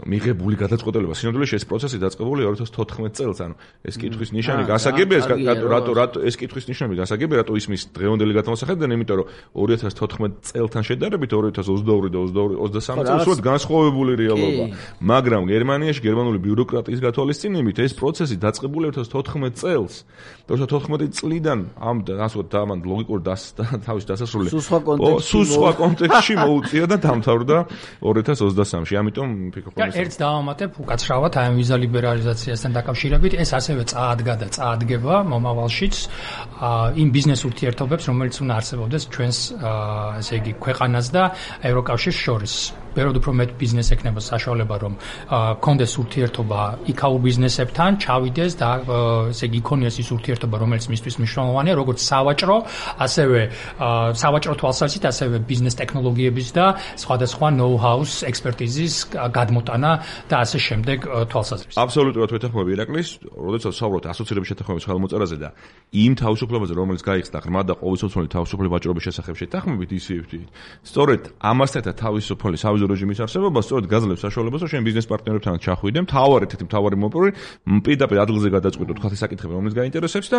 მიღებული გადაწყვეტილება. სინამდვილეში ეს პროცესი დაწყებული ორი ათას თოთხმეტ წელს, ანუ ეს კითხვის ნიშანი გასაგებია, რატო რატო ეს კითხვის ნიშანი გასაგებია, რატო ისმის დღევანდელი გადმოსახედიდან, იმიტომ რომ ორი ათას თოთხმეტ წელთან შედარებით ორი ათას ოცდაორი და ოცდასამი წელს სულ განსხვავებული რეალობა. მაგრამ გერმანიაში გერმანული ბიუროკრატიის გათვალისწინებით ეს პროცესი დაწყებული ორი ათას თოთხმეტ წელს. და ორი ათას თოთხმეტ წლიდან ამ ასე ამან ლოგიკურ თავის დასასრულს სულ სხვა კონტექსტში მოუწია და დამთავრდა ორი ათას ოცდასამში. ამიტომ ვფიქრობ, რომ ერთს დავამატებ უკაცრავად აი ამ ვიზა ლიბერალიზაციასთან დაკავშირებით, ეს ასევე წაადგა და წაადგება მომავალშიც იმ ბიზნეს ურთიერთობებს, რომელიც უნდა არსებობდეს ჩვენს ესე იგი ქვეყანას და ევროკავშირს შორის. ვეროდ უფრო მეტ ბიზნეს ექნება საშუალება, რომ კონდეს ურთიერთობა იქაურ ბიზნესებთან, ჩავიდეს და ესე იგი იქონიეს ის ურთიერთობა, რომელიც მისთვის მნიშვნელოვანია, როგორც სავაჭრო, ასევე სავაჭრო თვალსაზრისით, ასევე ბიზნეს ტექნოლოგიების და სხვადასხვა ნოუ-ჰაუს ექსპერტიზის გადმოტანა და ასე შემდეგ თვალსაზრისით. აბსოლუტურად ვეთანხმები ირაკლის, როდესაც საუბრობთ ასოცირების შეთანხმების ხელმოწერაზე და იმ თავისუფლებაზე, რომელიც გაიხსნა ღრმა და ყოველწლიური თავისუფლების ვაჭრობის შესახებ შეთანხმებით ისივ. სწორედ ამასთან თავისუფალი სავიზო რეჟიმის არსებობა სწორედ გაძლევს საშუალებას, რომ შენ ბიზნეს პარტნიორებთან ჩახვიდე, მთავარი თითი მთავარი მოპოვი, პირდაპირ ადგილზე გადაწყვიტო თქვა საკითხები, რომელიც გაინტერესებს და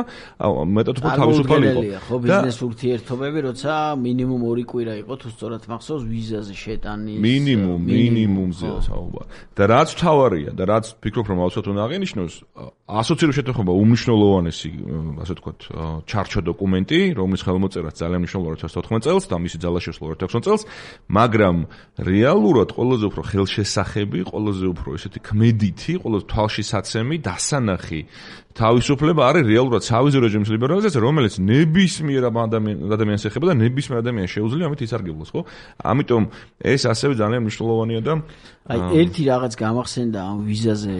მეტად უფრო თავისუფალი იყო. ხო, ბიზნეს ურთიერთობები, როცა მინიმუმ ორი კვირა იყო, თუ სწორად მახსოვს, ვიზაზე შეტანის მინიმუმ მინიმუმზეა საუბარი. და რაც მთავარია და რაც ფიქრობ, რომ აუცილებლად უნდა აღინიშნოს, ასოცირებული შეთანხმება უმნიშვნელოვანესი, ასე ვთქვათ, ჩარჩო დოკუმენტი, რომლის ხელმოწერაც ძალიან მნიშვნელოვანია ორი ათას თოთხმეტ წელს და მისი ძალაშესვლა ორი ათას ოცდაოთხ წელს, მაგრამ რეალურად ყველაზე უფრო ხელშესახები, ყველაზე უფრო ესეთი ქმედითი, ყველაზე თვალშისაცემი, დასანახი თავისუფლება არის რეალურად სავიზო რეჟიმის ლიბერალიზაცია, რომელიც ნებისმიერ ადამიანს ეხება და ნებისმიერ ადამიანს შეუძლია ამით ისარგებლოს, ხო? ამიტომ ეს ასევე ძალიან მნიშვნელოვანია და აი ერთი რაღაც გამახსენდა ამ ვიზაზე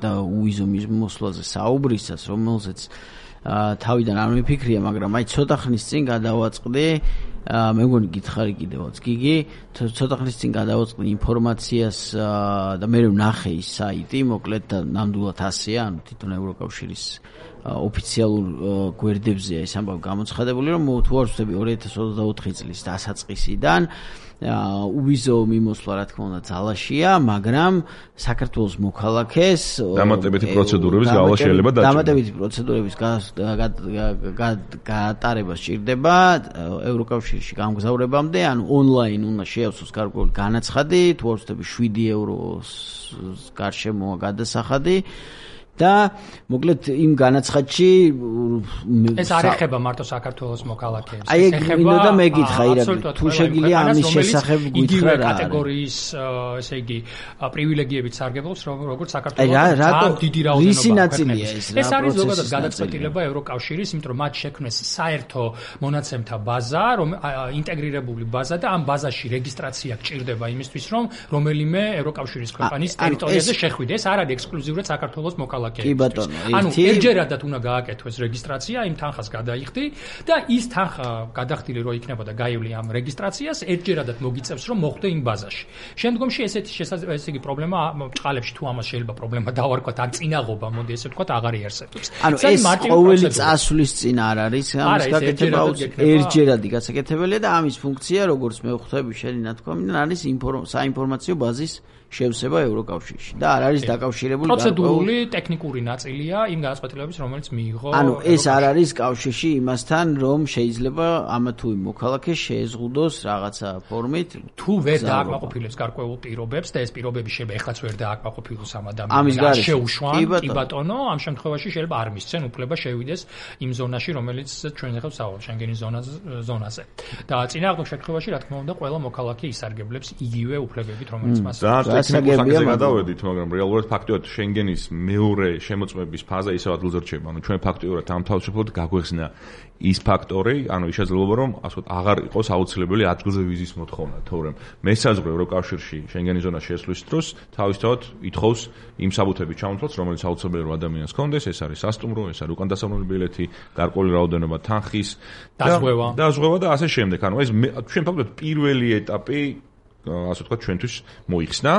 და უვიზო მიმოსვლაზე საუბრისას, რომელზეც თავიდან არ მიფიქრია, მაგრამ აი ცოტა ხნის წინ გადავაწყდი მე მგონი გითხარი კიდევაც გიგი, ცოტა ხნის წინ გადავაწყდი ინფორმაციას და მე ვნახე ის საიტი, მოკლედ და ნამდვილად ასეა, ანუ თვითონ ევროკავშირის ოფიციალურ გვერდებზეა ეს ამბავი გამოცხადებული, რომ თუ არ ვცდები ორი ათას ოცდაოთხი წლის დასაწყისიდან უვიზო მიმოსვლა რა თქმა უნდა ძალაშია, მაგრამ საქართველოს მოქალაქეს დამატებითი პროცედურების გავლა შეიძლება დაჭიროს. დამატებითი პროცედურების გატარება სჭირდება ევროკავშირში გამგზავრებამდე, ანუ ონლაინ უნდა შეავსოს გარკვეული განაცხადი, თუ არ ვცდები შვიდი ევროს გარშემოა გადასახადი. და მოკლედ იმ განაცხადში ეს არ ეხება მარტო საქართველოს მოქალაქეებს. აი ეგ მინდა და მეკითხა ირაკლი, თუ შეგიძლია ამის შესახებ გითხრა რა კატეგორიის ესე იგი პრივილეგიებით სარგებლობს როგორც საქართველოს ძალიან დიდი რაოდენობა ქვეყნების. ეს არის ზოგადად გადაწყვეტილება ევროკავშირის, იმიტომ რომ მათ შექმნეს საერთო მონაცემთა ბაზა, რომ ინტეგრირებული ბაზა და ამ ბაზაში რეგისტრაცია გჭირდება იმისთვის, რომ რომელიმე ევროკავშირის ქვეყნის ტერიტორიაზე შეხვიდე. ეს არ არის ექსკლუზიურად საქართველოს მოქალაქეებს. კი ბატონო, ანუ ერთჯერადად უნდა გააკეთოს რეგისტრაცია, იმ თანხას გადაიხდი და ის თანხა გადახდილი რო იქნება და გაივლი ამ რეგისტრაციას, ერთჯერადად მოგიწევს რომ მოხვდე იმ ბაზაში. შემდგომში ესეთი ესე იგი პრობლემა ჭყალებში თუ ამას შეიძლება პრობლემა დავარქვათ, ან წინაღობა, მოდი ესე ვთქვათ, აღარ იარსებობს. ანუ ეს ყოველი წასვლის წინ არ არის ამის გაკეთება, ერთჯერადი გასაკეთებელია და ამის ფუნქცია, როგორც მე ვხვდები შენი ნათქვამიდან, არის საინფორმაციო ბაზის შევსება ევროკავშირში და არ არის დაკავშირებული პროცედურული ტექნიკური ნაწილია იმ გადაწყვეტილებების, რომელიც მიიღო. ანუ ეს არ არის კავშირში იმასთან, რომ შეიძლება ამა თუ იმ მოქალაქეს შეეზღუდოს რაღაცა ფორმით, თუ ვერ დააკმაყოფილებს გარკვეულ პირობებს და ეს პირობები შეიძლება ეხლაც ვერ დააკმაყოფილოს ამ ადამიანს. შეუშვან, კი ბატონო, ამ შემთხვევაში შეიძლება არ მისცენ უფლება შევიდეს იმ ზონაში, რომელიც ჩვენ ახლა ვსაუბრობთ, შენგენის ზონაზე. და წინააღმდეგ შემთხვევაში, რა თქმა უნდა, ყველა მოქალაქე ისარგებლებს იგივე უფლებებით, რომელიც მას აქვს. ტექნიკურ გადავედით, მაგრამ რეალურად ფაქტობრივად შენგენის მეორე შემოწმების ფაზა ისევ ადგილზე რჩება. ანუ ჩვენ ფაქტობრივად ამ თავისუფლად გაგვეხსნა ის ფაქტორი, ანუ ის შესაძლებლობა, რომ ასე ვთქვათ, აღარ იყოს აუცილებელი ადგილზე ვიზის მოთხოვნა, თორემ მესაზღვრე ევროკავშირში შენგენის ზონაში შესვლის დროს თავისთავად ითხოვს იმ საბუთების ჩამოთვლას, რომელიც აუცილებელი რომ ადამიანს ჰქონდეს, ეს არის სასტუმრო, ეს არის უკან დასაბრუნებელი ბილეთი, გარკვეული რაოდენობა თანხის დაზღვევა. დაზღვევა და ასე შემდეგ. ანუ ეს ჩვენ ფაქტობრივად პირველი ეტაპი ასე ვთქვათ, ჩვენთვის მოიხსნა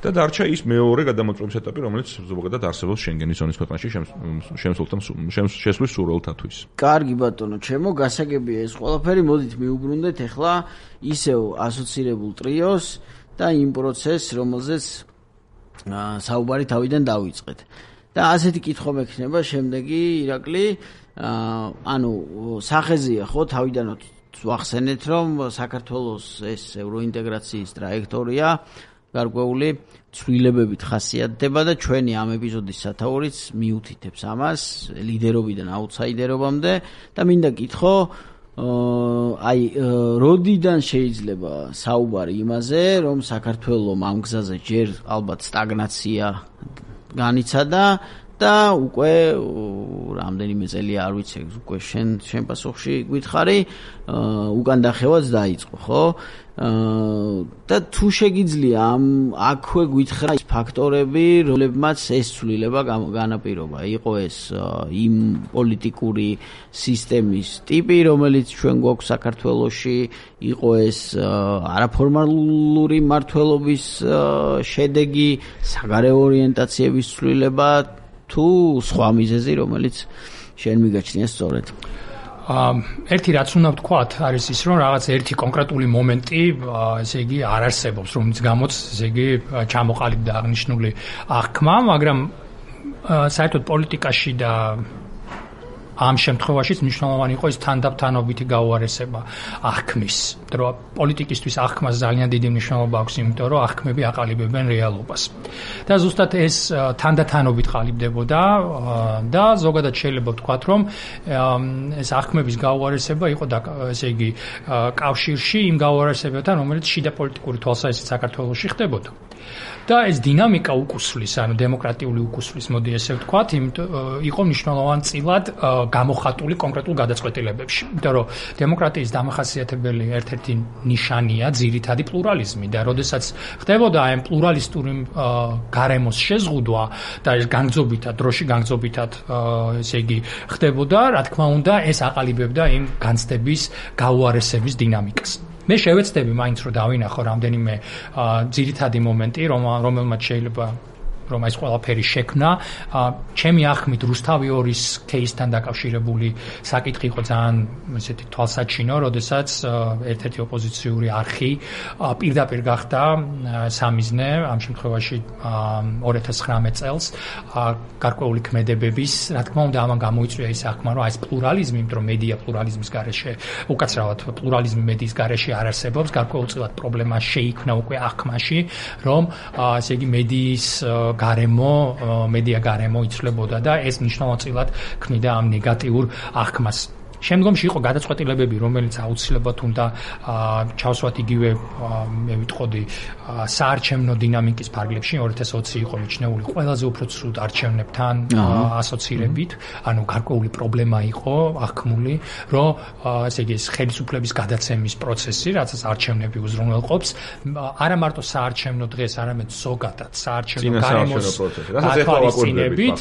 და დარჩა ის მეორე გადამოწმების ეტაპი, რომელიც ზოგადად არსებობს შენგენის ზონის ქვეყანაში შემსულთან შესვლის სურვილთათვის. კარგი ბატონო, ჩემო, გასაგებია ეს ყველაფერი, მოდით მიუბრუნდეთ ახლა ისევ ასოცირებულ ტრიოს და იმ პროცესს, რომელზეც საუბარი თავიდან დავიწყეთ. და ასეთი კითხვა მექნება შემდეგი, ირაკლი, ანუ სახეზია ხო თავიდანვე ვახსენეთ, რომ საქართველოს ეს ევროინტეგრაციის ტრაექტორია გარკვეული ცვლილებებით ხასიათდება და ჩვენი ამ ეპიზოდის სათაურიც მიუთითებს ამას ლიდერობიდან აუტსაიდერობამდე და მინდა კითხო, აი, როდიდან შეიძლება საუბარი იმაზე, რომ საქართველოს ამ გზაზე ჯერ ალბათ სტაგნაცია განიცადა და უკვე რამდენიმე წელი არ ვიცი, უკვე შენ შენ პასუხში გითხარი, უკან დახევაც დაიწყო, ხო? და თუ შეგიძლია ამ აქვე გითხრა ის ფაქტორები, რომლებმაც ეს ცვლილება განაპირობა, იყო ეს იმ პოლიტიკური სისტემის ტიპი, რომელიც ჩვენ გვაქვს საქართველოში, იყო ეს არაფორმალური მმართველობის შედეგი, საგარეო ორიენტაციების ცვლილება, თუ სხვა მიზეზი, რომელიც შენ მიგაჩნია სწორედ. ერთი რაც უნდა ვთქვათ, არის ის, რომ რაღაც ერთი კონკრეტული მომენტი, ესე იგი, არ არსებობს, რომლის გამოც, ესე იგი, ჩამოყალიბდა აღნიშნული აღქმა, მაგრამ საერთოდ პოლიტიკაში და ამ შემთხვევაშიც მნიშვნელოვანი იყო ის თანდათანობითი გაუარესება აღქმის. რომ პოლიტიკისთვის აღქმას ძალიან დიდი მნიშვნელობა აქვს, იმიტომ რომ აღქმები აყალიბებენ რეალობას. და ზუსტად ეს თანდათანობით ყალიბდებოდა და ზოგადად შეიძლება ვთქვათ, რომ ეს აღქმების გაუარესება იყო ესე იგი კავშირში იმ გაუარესებებთან, რომელიც შიდა პოლიტიკური თვალსაზრისით საქართველოში ხდებოდა. და ეს დინამიკა უკუსვლის, ანუ დემოკრატიული უკუსვლის, მოდი ესე ვთქვათ, იყო მნიშვნელოვანწილად გამოხატული კონკრეტულ გადაწყვეტილებებში. იმიტომ რომ დემოკრატიის დამახასიათებელი ერთ-ერთი ნიშანია ძირითადი პლურალიზმი და როდესაც ხდებოდა ამ პლურალისტური გარემოს შეზღუდვა და ეს განგზობითად, დროში განგზობითად, ესე იგი ხდებოდა, რა თქმა უნდა, ეს აყალიბებდა იმ განცდების გაუარესების დინამიკას. მე შევეცდები მაინც რომ დავინახო რამდენიმე ძირითადი მომენტი, რომელმაც შეიძლება რომ ეს ყველაფერი შექმნა. ჩემი ახმით რუსთავი ორის кейსთან დაკავშირებული საკითხი იყო ძალიან ესეთი თვალსაჩინო, როდესაც ერთ-ერთი ოპოზიციური არხი პირდაპირ გახდა სამიზნე ამ შემთხვევაში ორი ათას ცხრამეტ წელს გარკვეული ქმედებების, რა თქმა უნდა, ამან გამოიწვია ის ახმა, რომ ეს პლურალიზმი, იმიტომ რომ მედია პლურალიზმის გარეშე, უკაცრავად პლურალიზმი მედიის გარეშე არ არსებობს, გარკვეულწილად პრობლემა შეიქმნა უკვე ახმაში, რომ ესე იგი მედიის გარემო, მედია გარემო იცვლებოდა და ეს მნიშვნელოვნად ქმნიდა ამ ნეგატიურ ახმას. შემდგომში იყო გადაწყვეტილებები, რომელიც აუცილებლად უნდა ჩავსვათ იგივე მე ვიტყოდი საარჩევნო დინამიკის ფარგლებში. ორი ათას ოცი იყო მიჩნეული ყველაზე უფრო ცუდ არჩევნებთან ასოცირებით, ანუ გარკვეული პრობლემა იყო ახმული, რომ ესე იგი ხელისუფლების გადაცემის პროცესი, რაცაც არჩევნები უზრუნველყოფს, არა მარტო საარჩევნო დღეს, არამედ ზოგადად საარჩევნო გარემოს თვალსაზრისით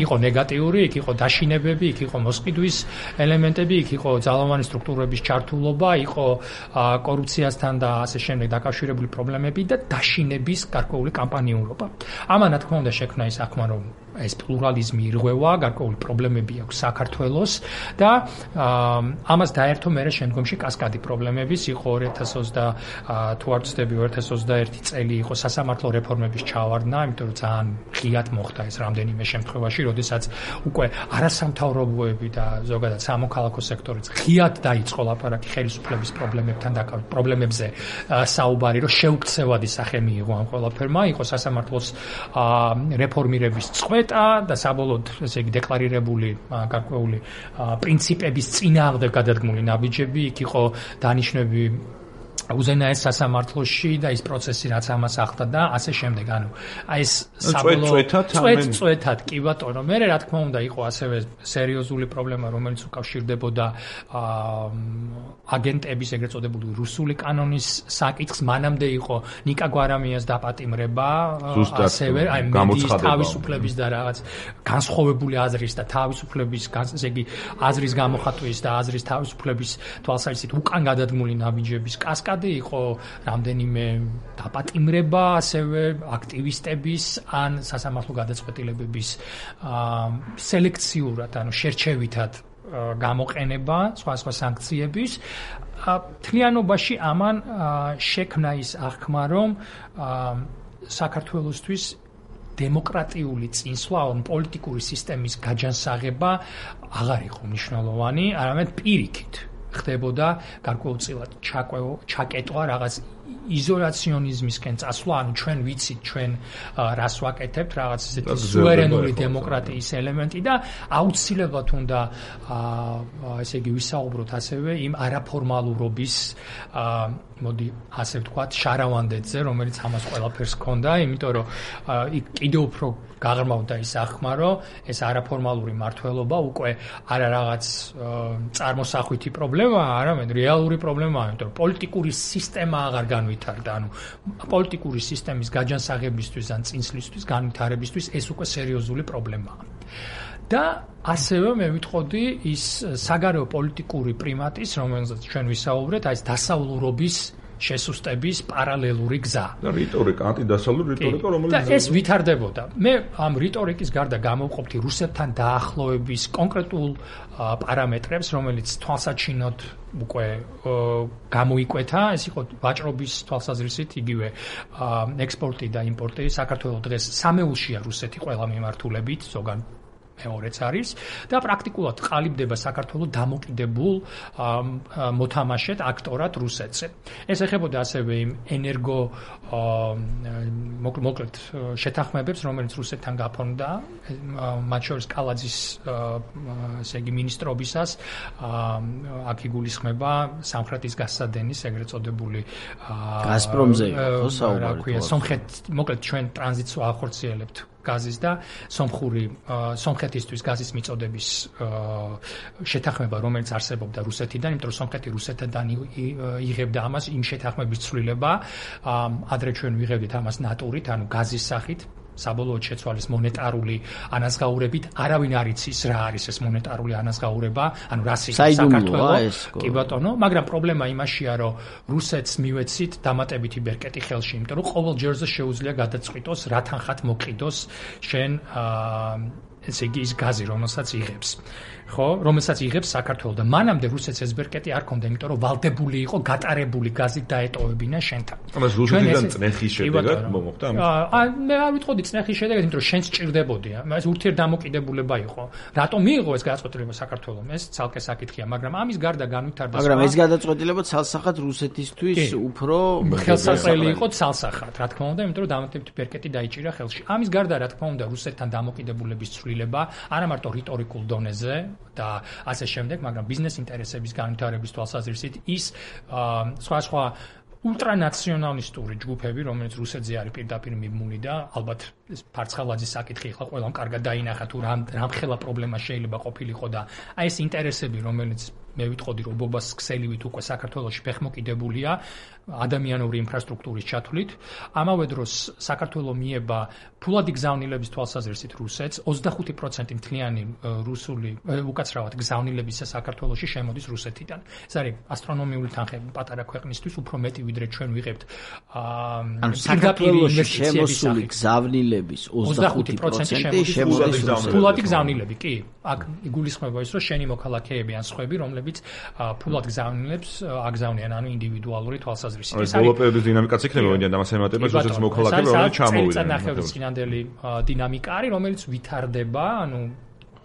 იყო ნეგატიური, იქ იყო დაშინებები, იქ იყო მოსყიდვის ელემენტი, იქ იყო ძალოვანი სტრუქტურების ჩართულობა, იყო კორუფციასთან და ასე შემდეგ დაკავშირებული პრობლემები და დაშინების გარკვეული კამპანიურობა. ამან რა თქმა უნდა შექმნა ის ახმა, რომ ეს პლურალიზმი ირღვევა, გარკვეული პრობლემები აქვს საქართველოს და ამას დაერთო მერე შემდგომში კასკადი პრობლემების, იყო ორი ათას ოცდა თუ არ ვცდები ორი ათას ოცდაერთი წელი იყო სასამართლო რეფორმების ჩავარდნა, იმიტომ რომ ძალიან ღიად მოხდა ეს რამდენიმე შემთხვევაში, როდესაც უკვე არასამთავრობოები და ზოგადად სამოქალაქო სექტორიც ღიად დაიწყო ლაპარაკი ხელისუფლების პრობლემებთან დაკავშირებით, პრობლემებზე საუბარი, რომ შეუქცევადი სახე მიიღო ამ ყველაფერმა, იყო სასამართლოს რეფორმირების წყვეტა და საბოლოოდ ესე იგი დეკლარირებული გარკვეული პრინციპების წინააღმდეგ გადადგმული ნაბიჯები, იქ იყო დანიშნები უზენაეს სასამართლოში და ის პროცესი რაც ამას ახლდა და ასე შემდეგ. ანუ აი ეს საბოლოოდ წვეთად კი ბატონო, მე რა თქმა უნდა იყო ასევე სერიოზული პრობლემა, რომელიც უკავშირდებოდა აგენტების ეგრეთ წოდებული რუსული კანონის საკითხს. მანამდე იყო ნიკა გვარამიას დაპატიმრება, ასევე აი მედიის თავისუფლების და რაღაც განსხვავებული აზრის და თავისუფლების, ესე იგი აზრის გამოხატვის და აზრის თავისუფლების თვალსაზრისით უკან გადადგმული ნაბიჯების კასკადი იყო, რამდენიმე დაპატიმრება, ასევე აქტივისტების ან სასამართლო გადაწყვეტილებების სელექციურად, ანუ შერჩევითად გამოყენება, სხვა სხვა სანქციების. თლიანობაში ამან შექმნა ის ახმა, რომ საქართველოსთვის დემოკრატიული წინსვლა, ან პოლიტიკური სისტემის გაჯანსაღება აღარ იყო მნიშვნელოვანი, არამედ პირიქით ხდებოდა გარკვეულწილად ჩაკეტვა რაღაც იზოლაციონიზმისკენ წასვლა, ანუ ჩვენ ვიცით ჩვენ რას ვაკეთებთ, რაღაც ესეთი სუვერენული დემოკრატიის ელემენტი და აუცილებლად უნდა ესე იგი ვისაუბროთ ასევე იმ არაფორმალურობის, მოდი ასე ვთქვათ, შარავანდეთზე, რომელიც ამას ყველაფერს ჰქონდა, იმიტომ რომ იქ კიდევ უფრო გაღრმავდა ის ახმა, რომ ეს არაფორმალური მართლობა უკვე არა რაღაც წარმოსახვითი პრობლემაა, არამედ რეალური პრობლემაა, იმიტომ რომ პოლიტიკური სისტემა აღარ განვითარდა, ანუ პოლიტიკური სისტემის გაჯანსაღებისთვის ან წინსვლისთვის, განვითარებისთვის ეს უკვე სერიოზული პრობლემაა. და ასევე მე ვიტყოდი ის საგარეო პოლიტიკური პრიმატის, რომელზეც ჩვენ ვისაუბრეთ, აი ეს დასავლურობის შესუსტების პარალელური გზა. და რიტორიკა, ანტიდასავლური რიტორიკა, რომელიც და ეს ვითარდებოდა. მე ამ რიტორიკის გარდა გამოვყოფდი რუსეთთან დაახლოების კონკრეტულ პარამეტრებს, რომელიც თვალსაჩინოდ უკვე გამოიკვეთა, ეს იყო ვაჭრობის თვალსაზრისით, იგივე ექსპორტი და იმპორტი. საქართველოს დღეს სამეულშია რუსეთი ყველა მიმართულებით, ზოგან მეორეც არის და პრაქტიკულად ყალიბდება საქართველოს დამოკიდებულ მოთამაშედ აქტორად რუსეთზე. ეს ეხებოდა ასევე იმ ენერგო მოკლედ შეთანხმებებს, რომელიც რუსეთთან გაფორმდა, მათ შორის კალაძის ესე იგი მინისტრობისას, აქ იგულისხმება სამხრეთის გასადენის ეგრეთ წოდებული გაზპრომზე იყო საუბარი. სომხეთ, მოკლედ ჩვენ ტრანზიტს ახორციელებთ გაზის და სომხური სომხეთისთვის გაზის მიწოდების შეთანხმება, რომელიც არსებობდა რუსეთიდან, იმიტომ რომ სომხეთი რუსეთთან იღებდა ამას, იმ შეთანხმების ცვლილება, ადრე ჩვენ ვიღებდით ამას ნატურით, ანუ გაზის სახით. საბოლოოდ შეცვალეს მონეტარული ანაზღაურებით, არავინ არ იცის რა არის ეს მონეტარული ანაზღაურება, ანუ რა სიტყვა საქართველოს. კი ბატონო, მაგრამ პრობლემა იმაშია, რომ რუსეთს მივეცით დამატებითი ბერკეტი ხელში, იმიტომ რომ ყოველ ჯერზე შეუძლია გადაწყვიტოს რა თანხად მოკიდოს შენ ესე იგი ის გაზი, რომელსაც იღებს. ხო, რომელსაც იღებს საქართველოს და მანამდე რუსეთს ეს ბერკეტი არ ქონდა, იმიტომ რომ ვალდებული იყო გატარებული გაზი დაეტოვებინა შენთან. ამას რუსეთიდან წნეხის შედეგად მომხდა ამის? აა მე არ ვიტყოდი წნეხის შედეგად, იმიტომ რომ შენ სჭირდებოდია. ეს ურთიერთდამოკიდებულება იყო. რატომ მიიღო ეს გადაწყვეტილება საქართველოს? ეს ცალკე საკითხია, მაგრამ ამის გარდა განვითარდა. მაგრამ ეს გადაწყვეტილება ცალსახად რუსეთისთვის უფრო ხელსაყრელი იყო ცალსახად, რა თქმა უნდა, იმიტომ რომ დამატებითი ბერკეტი დაიჭირა ხელში. ამის გარდა, რა თქმა უნდა, რუსეთთან დამოკიდებულების ცვლილება არა მარტო რიტორიკულ დონეზე და ასე შემდეგ, მაგრამ ბიზნეს ინტერესების განვითარების თვალსაზრისით ის სხვა სხვა ულტრანაციონალისტური ჯგუფები, რომელიც რუსეთზე არის პირდაპირ მიბმული და ალბათ ეს ფარცხალაძის საკითხი ახლა ყველამ კარგად დაინახა თუ რამხელა პრობლემა შეიძლება ყოფილიყო და აი ეს ინტერესები, რომელიც მე ვიტყოდი რომ ობობას ქსელივით უკვე საქართველოში ფეხმოკიდებულია ადამიანური ინფრასტრუქტურის ჩათვლით, ამავე დროს საქართველო მიება ფულადი გზავნილების თვალსაზრისით რუსეთს, ოცდახუთი პროცენტი მთლიანი რუსული უკაცრავად გზავნილებისა საქართველოში შემოდის რუსეთიდან. ეს არის ასტრონომიული თანხები პატარა ქვეყნისთვის, უფრო მეტი ვიდრე ჩვენ ვიღებთ ანუ საქართველოში შემოსული გზავნილების ოცდახუთი პროცენტი შემოდის რუსეთიდან. ფულადი გზავნილები, კი. აქ იგულისხმება ის, რომ შენი მოქალაქეები ან სხვები, რომლებიც ფულად გზავნილებს აგზავნიან, ანუ ინდივიდუალური თვალსაზრისით. ეს ბოლო პერიოდის დინამიკაც იქნება, ვინდა და მას ემატება რუსეთის მოქალაქეები, რომელიც ჩამოვიდნენ. წელიწადნახევრის წინანდელი დინამიკა არის, რომელიც ვითარდება, ანუ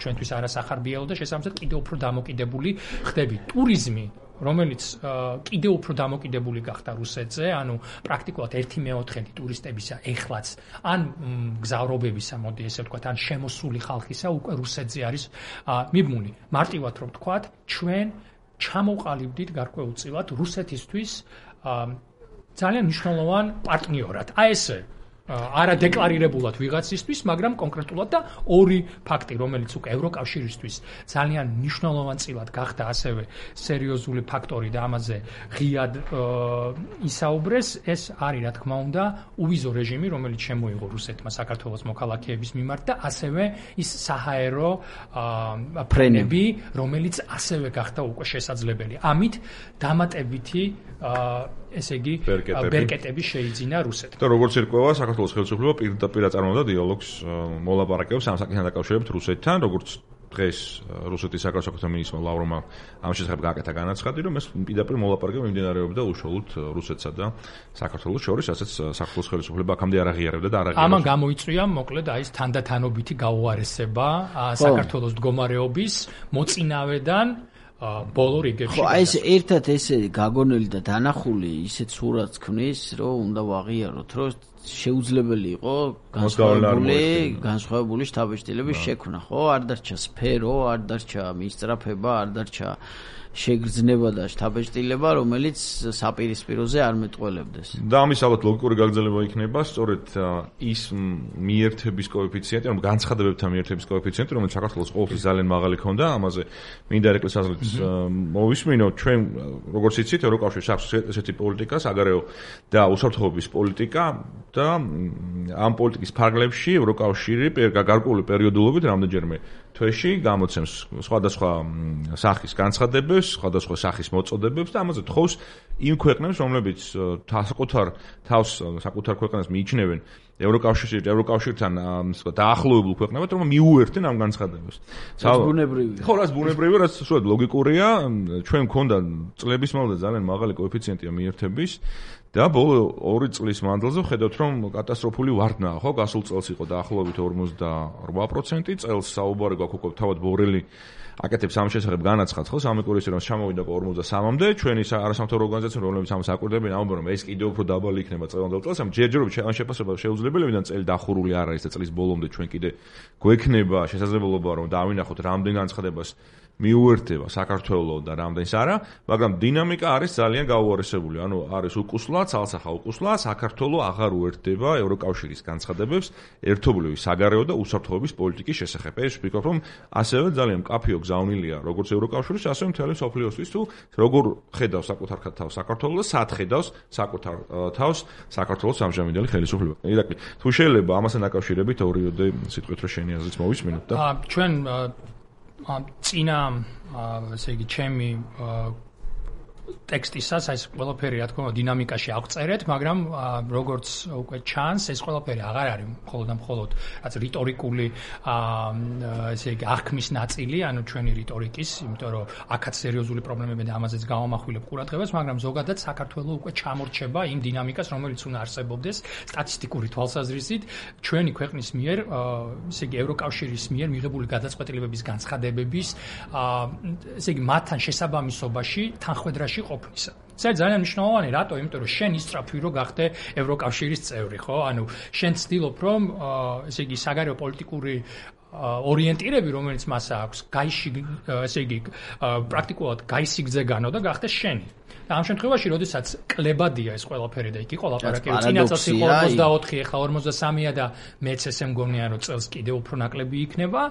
ჩვენთვის არასახარბიელო და შესაბამისად კიდევ უფრო დამოკიდებული ხდები. ტურიზმი, რომელიც კიდევ უფრო დამოკიდებული გახდა რუსეთზე, ანუ პრაქტიკულად ერთი მეოთხედი ტურისტებისა ეხლაც ან გზავრობებისა, მოდი ესე ვთქვათ, ან შემოსული ხალხისა უკვე რუსეთზე არის მიბმული. მარტივად რომ ვთქვათ, ჩვენ ჩამოვყალიბდით გარკვეულწილად რუსეთისთვის ძალიან მნიშვნელოვან პარტნიორად. აი ესე არა დეკლარირებულად ვიღაცისთვის, მაგრამ კონკრეტულად და ორი ფაქტი, რომელიც უკვე ევროკავშირისთვის ძალიან მნიშვნელოვანწილად გახდა ასევე სერიოზული ფაქტორი და ამაზე ღიად ისაუბრეს, ეს არის რა თქმა უნდა უვიზო რეჟიმი, რომელიც შემოიღო რუსეთმა საქართველოს მოქალაქეების მიმართ და ასევე ის საჰაერო ფრენები, რომელიც ასევე გახდა უკვე შესაძლებელი. ამით დამატებითი ესე იგი ბერკეტები შეიძინა რუსეთს. და როგორც ირკვევა, საქართველოს ხელისუფლება პირდაპირ აწარმოებდა დიალოგს მოლაპარაკებებს ამ საკითხთან დაკავშირებით რუსეთთან, როგორც დღეს რუსეთის საგარეო მინისტრმა ლავროვმა ამ შესახებ გააკეთა განაცხადი, რომ ეს პირდაპირ მოლაპარაკება მიმდინარეობდა უშუალოდ რუსეთსა და საქართველოს შორის, რასაც საქართველოს ხელისუფლება აქამდე არ აღიარებდა და არ აღიარებს. ამან გამოიწვია, მოკლედ, აი ეს თანდათანობითი გაუარესება საქართველოს მდგომარეობის მოწინავედან ბოლო რიგებში. ხო, აი ეს ერთად ესე გაგონელი და დანახული ისეთ სურათს ქმნის, რომ უნდა ვაღიაროთ, რომ შეუძლებელი იყო განსხვავებული განსხვავებული შთაბეჭდილების შექმნა, ხო? არ დარჩა სფერო, არ დარჩა მისწრაფება, არ დარჩა შეგრძნება და შთაბეჭდილება, რომელიც საპირისპიროზე არ მეტყველებდეს. და ამის ალბათ ლოგიკური გაგრძელება იქნება, სწორედ ის მიერთების კოეფიციენტი, ანუ განცხადებებთან მიერთების კოეფიციენტი, რომელიც საქართველოს ყოველთვის ძალიან მაღალი ქონდა, ამაზე მინდა ერეკლეს აზრით მოვისმინო, ჩვენ როგორც იცით, ევროკავშირს აქვს ესეთი პოლიტიკა, საგარეო და უსაფრთხოების პოლიტიკა და ამ პოლიტიკის ფარგლებში ევროკავშირი გარკვეული პერიოდულობით რამდენჯერმე თვეში გამოცემს სხვადასხვა სახის განცხადებებს, სხვადასხვა სახის მოწოდებებს და ამაზე თხოვს იმ ქვეყნებს, რომლებიც საკუთარ თავს საკუთარ ქვეყანას მიიჩნევენ ევროკავშირში, ევროკავშირთან დაახლოებულ ქვეყნებად, რომ მიუერთდნენ ამ განცხადებებს. რაც ბუნებრივია. ხო, რაც ბუნებრივია, რაც სულად ლოგიკურია, ჩვენ მქონდა წლების მანძილზე ძალიან მაღალი კოეფიციენტია მიერთების და ბოლო ორი წლის მანძილზე ხედავთ, რომ კატასტროფული ვარდნაა, ხო? გასულ წელს იყო დაახლოებით ორმოცდაორვა პროცენტი, წელს საუბარი გვაქვს უკვე თავად ბორელი აკეთებს ამ შესახებ განაცხადს, ხო? სამეკვირვო რომ ჩამოვიდა ორმოცდასამამდე, ჩვენი არასამთავრობო ორგანიზაციები, რომლებიც ამას აკვირდებიან, ამბობენ, რომ ეს კიდევ უფრო დაბალი იქნება წელამდელ წელს, ამ ჯერჯერობით ამ შეფასება შეუძლებელია, წელი დახურული არ არის და წლის ბოლომდე ჩვენ კიდე გვექნება შესაძლებლობა, რომ დავინახოთ რამდენ განცხადებას მიუერთდება საქართველოს და რამდენს არა, მაგრამ დინამიკა არის ძალიან გაუარესებული. ანუ არის უკუსლა, ცალსახა უკუსლა, საქართველოს აღარ უერთდება ევროკავშირის განცხადებებს ერთობლივი საგარეო და უსაფრთხოების პოლიტიკის შესახებ. ეს ვფიქრობ, რომ ასევე ძალიან მკაფიო გზავნილია როგორც ევროკავშირის, ასევე მთელი მსოფლიოსთვის, თუ როგორ ხედავს საკუთარ თავს საქართველოს, სად ხედავს საკუთარ თავს საქართველოს ამჟამინდელი ხელისუფლება. ირაკლი, თუ შეიძლება ამასთან დაკავშირებით ორიოდე სიტყვით რომ შენი აზრიც მოვისმინოთ და ჩვენ წინა ესე იგი ჩემი ტექსტისას ეს ყველაფერი რა თქმა უნდა დინამიკაში აღწერეთ, მაგრამ როგორც უკვე ჩანს, ეს ყველაფერი აღარ არის მხოლოდ და მხოლოდ რაც რიტორიკული ესე იგი აღქმის ნაწილი, ანუ ჩვენი რიტორიკის, იმიტომ რომ აქაც სერიოზული პრობლემები და ამაზეც გავამახვილებ ყურადღებას, მაგრამ ზოგადად საქართველოს უკვე ჩამორჩება იმ დინამიკას, რომელიც უნდა არსებობდეს სტატისტიკური თვალსაზრისით ჩვენი ქვეყნის მიერ, ესე იგი ევროკავშირის მიერ მიღებული გადაწყვეტილებების განცხადებების, ესე იგი მათთან შესაბამისობაში თანხმედრაში ყოფნისა. ეს ძალიან მნიშვნელოვანი, რატო? იმიტომ რომ შენ ისწრაფვი რო გახდე ევროკავშირის წევრი, ხო? ანუ შენ ცდილობ რომ ესე იგი საგარეო პოლიტიკური ორიენტირები, რომელიც მას აქვს, გაიში, ესე იგი პრაქტიკულად გაისიგძე განო და გახდეს შენი. და ამ შემთხვევაში, როდესაც კლებადია ეს ყველაფერი და იქ იყო ლაპარაკი, წინა წელს იყო ორმოცდაოთხი, ეხლა ორმოცდასამია და მეც ესე მგონია, რომ წელს კიდევ უფრო ნაკლები იქნება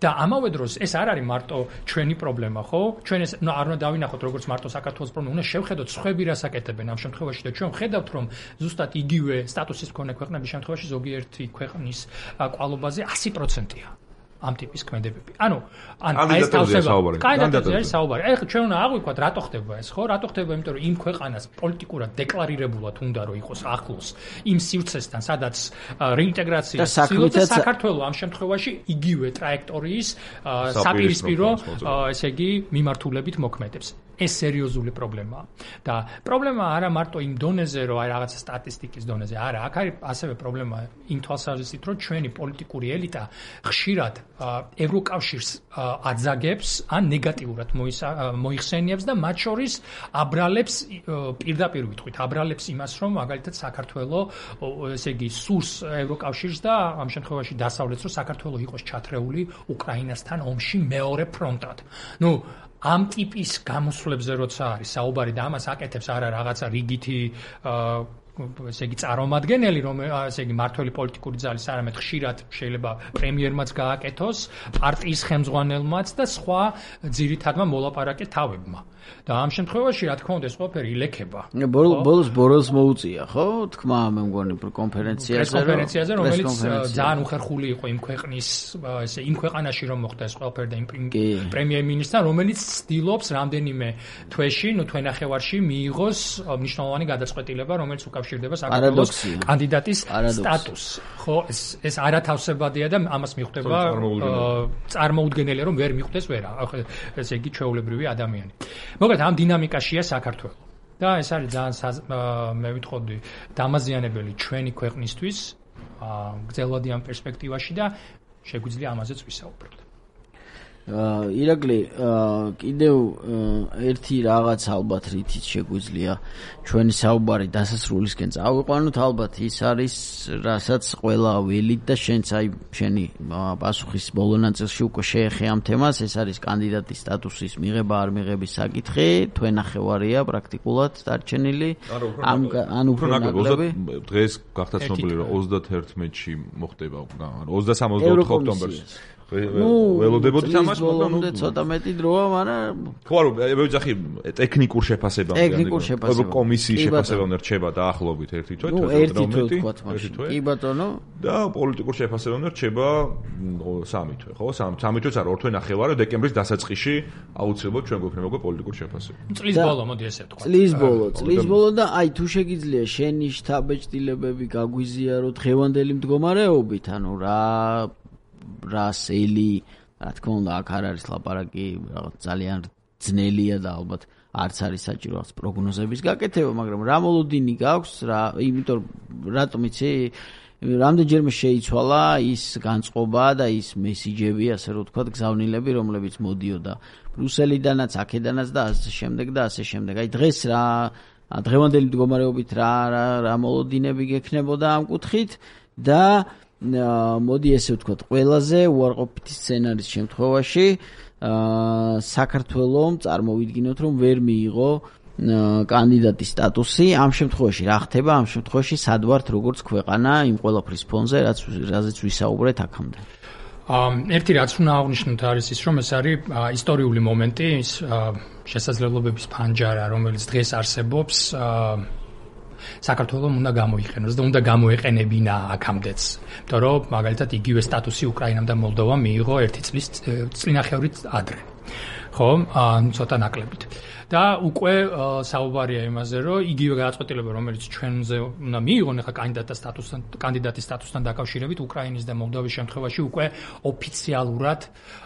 და ამავე დროს ეს არ არის მარტო ჩვენი პრობლემა, ხო? ჩვენ ეს არ უნდა დავინახოთ როგორც მარტო საქართველოს პრობლემა, უნდა შევხედოთ სხვები რას აკეთებენ ამ შემთხვევაში და ჩვენ ვხედავთ, რომ ზუსტად იგივე სტატუსის მქონე ქვეყნების შემთხვევაში ზოგიერთი ქვეყნის კვალობაზე ასი პროცენტია. ამ ტიპის ქმედებები. ანუ ან ეს თავსება. კანდიდატურაზე არის საუბარი. ეხლა ჩვენ უნდა აღვიქვათ, რატო ხდება ეს, ხო? რატო ხდება, იმიტომ რომ იმ ქვეყანას პოლიტიკურად დეკლარირებულად უნდა რომ იყოს ახლოს იმ სივრცესთან, სადაც რეინტეგრაცია ცდილობს და საქართველოს ამ შემთხვევაში იგივე ტრაექტორიის საპირისპირო, ესე იგი, მიმართულებით მოქმედებს. ეს სერიოზული პრობლემაა. და პრობლემა არა მარტო იმ დონეზე, რომ აი რაღაცა სტატისტიკის დონეზე, არა, აქ არის ასევე პრობლემა იმ თვალსაზრისით, რომ ჩვენი პოლიტიკური ელიტა ხშირად ევროკავშირს აძაგებს ან ნეგატიურად მოიხსენიებს და მათ შორის აბრალებს პირდაპირ ვიტყვით, აბრალებს იმას, რომ მაგალითად საქართველოს, ესე იგი, სურს ევროკავშირს და ამ შემთხვევაში დასავლეთს, რომ საქართველოს იყოს ჩათრეული უკრაინასთან ომში მეორე ფრონტად. ნუ ამ ტიპის გამოსვლებზე როცა არის საუბარი და ამას აკეთებს არა რაღაცა რიგითი ესე იგი წარმომადგენელი, რომ ესე იგი მართველი პოლიტიკური ძალის არამედ ხშირად შეიძლება პრემიერმაც გააკეთოს, პარტიის ხელმძღვანელმაც და სხვა ძირითადმა მოლაპარაკე თავებმა. და ამ შემთხვევაში რა თქმა უნდა ეს ყველაფერი ილექება. ბოლოს ბორელს მოუწია, ხო? თქმა მე მგონი კონფერენციაზე, კონფერენციაზე, რომელიც ძალიან უხერხული იყო იმ ქვეყნის, ესე იმ ქვეყანაში რომ მოხდა ეს ყველაფერი და იმ პრემიერ-მინისტრთან, რომელიც ცდილობს რამდენიმე თვეში, ნუ თვენახევარში მიიღოს მნიშვნელოვანი გადაწყვეტილება, რომელიც უკავშირდება საქართველოს კანდიდატის სტატუსს. ხო, ეს ეს არათავსებადია და ამას მიხვდება წარმოუდგენელია, რომ ვერ მიხვდეს ვერა, ესე იგი ჩვეულებრივი ადამიანი. მოკლედ ამ დინამიკაშია საქართველოს. და ეს არის ძალიან მე ვიტყოდი დამაზიანებელი ჩვენი ქვეყნისთვის, გრძელვადი ამ პერსპექტივაში და შეგვიძლია ამაზეც ვისაუბროთ. ირაკლი, კიდევ ერთი რაღაც ალბათ რითიც შეგვიძლია ჩვენი საუბარი დასასრულისკენ წავიყვანოთ, ალბათ ის არის, რასაც ყველა ველით და შენც აი შენი პასუხის ბოლო ნაწილში უკვე შეეხე ამ თემას, ეს არის კანდიდატის სტატუსის მიღება არ მიღების საკითხი, თვენახევარია პრაქტიკულად დარჩენილი. ან უფრო ნაკლები. დღეს გახდა ცნობილი, რომ ოცდაათი მოხდება, ოცდასამ ოცდაოთხ ოქტომბერს. ველოდებოდით ამას, მაგრამ ნუ ცოტა მეტი დროა, მაგრამ ხო, არა, მე ვიძახი ტექნიკურ შეფასებამდე. ტექნიკურ შეფასებამდე. კომისიის შეფასებამდე რჩება დაახლოებით ერთი თვე, თვე, ერთი თვე ვთქვათ მაშინ. კი ბატონო. და პოლიტიკურ შეფასებამდე რჩება სამი თვე, ხო? სამი თვეც არა, ორ თვე ნახევარი, დეკემბრის დასაწყისში აუცილებლად ჩვენ გვექნება უკვე პოლიტიკური შეფასება. წლის ბოლო, მოდი ესე ვთქვათ. წლის ბოლო, წლის ბოლო და აი თუ შეგიძლია შენი შთაბეჭდილებები გაგვიზიარო დღევანდელი მდგომარეობით, ანუ რა რასელი, რა თქმა უნდა, აქ არ არის ლაპარაკი, რაღაც ძალიან ძნელია და ალბათ არც არის საჭირო რაღაც პროგნოზების გაკეთება, მაგრამ რა მოლოდინი გაქვს, რა, იმიტომ რატომ იცი, რამდენჯერმე შეიცვალა ის განწყობა და ის მესიჯები, ასე რომ ვთქვათ, გზავნილები, რომლებიც მოდიოდა ბრუსელიდანაც, აქედანაც და ასე შემდეგ და ასე შემდეგ. აი დღეს რა დღევანდელი მდგომარეობით რა რა მოლოდინები გექნებოდა ამ კუთხით და მოდი ესე ვთქვათ, ყველაზე უარყოფითი სცენარის შემთხვევაში აა საქართველოს წარმოვიდგინოთ, რომ ვერ მიიღო კანდიდატის სტატუსი. ამ შემთხვევაში რა ხდება? ამ შემთხვევაში სად ვართ როგორც ქვეყანა იმ ყველაფრის ფონზე, რაც რაზეც ვისაუბრეთ აქამდე. ერთი რაც უნდა აღნიშნოთ არის ის, რომ ეს არის ისტორიული მომენტი, ის შესაძლებლობების ფანჯარა, რომელიც დღეს არსებობს, საქართველოს უნდა გამოიყენოს და უნდა გამოეყენებინა აქამდეც. იმიტომ რომ მაგალითად იგივე სტატუსი უკრაინამ და მოლდოვამ მიიღო ერთი წლის წინახევრით ადრე. ხო, ცოტა ნაკლებით. და უკვე საუბარია იმაზე, რომ იგივე გადაწყვეტილება, რომელიც ჩვენზე უნდა მიიღონ ახლა კანდიდატის სტატუსთან, კანდიდატის სტატუსთან დაკავშირებით უკრაინის და მოლდოვის შემთხვევაში უკვე ოფიციალურად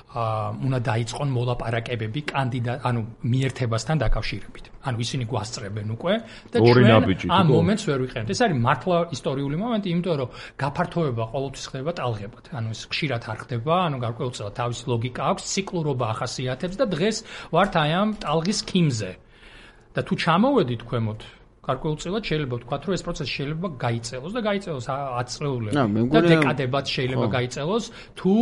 უნდა დაიწყონ მოლაპარაკებები კანდიდატ, ანუ მიერთებასთან დაკავშირებით. ანუ ისინი გვასწრებენ უკვე და ჩვენ ამ მომენტს ვერ ვიყენებთ. ეს არის მართლა ისტორიული მომენტი, იმიტომ რომ გაფართოება ყოველთვის ხდება ტალღებად. ანუ ეს ხშირად არ ხდება, ანუ გარკვეულწილად თავისი ლოგიკა აქვს, ციკლურობა ახასიათებს და დღეს ვართ აი ამ ტალღის ქიმზე. და თუ ჩამოვედით ქვემოთ, გარკვეულწილად შეიძლება ვთქვათ, რომ ეს პროცესი შეიძლება გაიწელოს და გაიწელოს ათი წლეულები. და დეკადებად შეიძლება გაიწელოს, თუ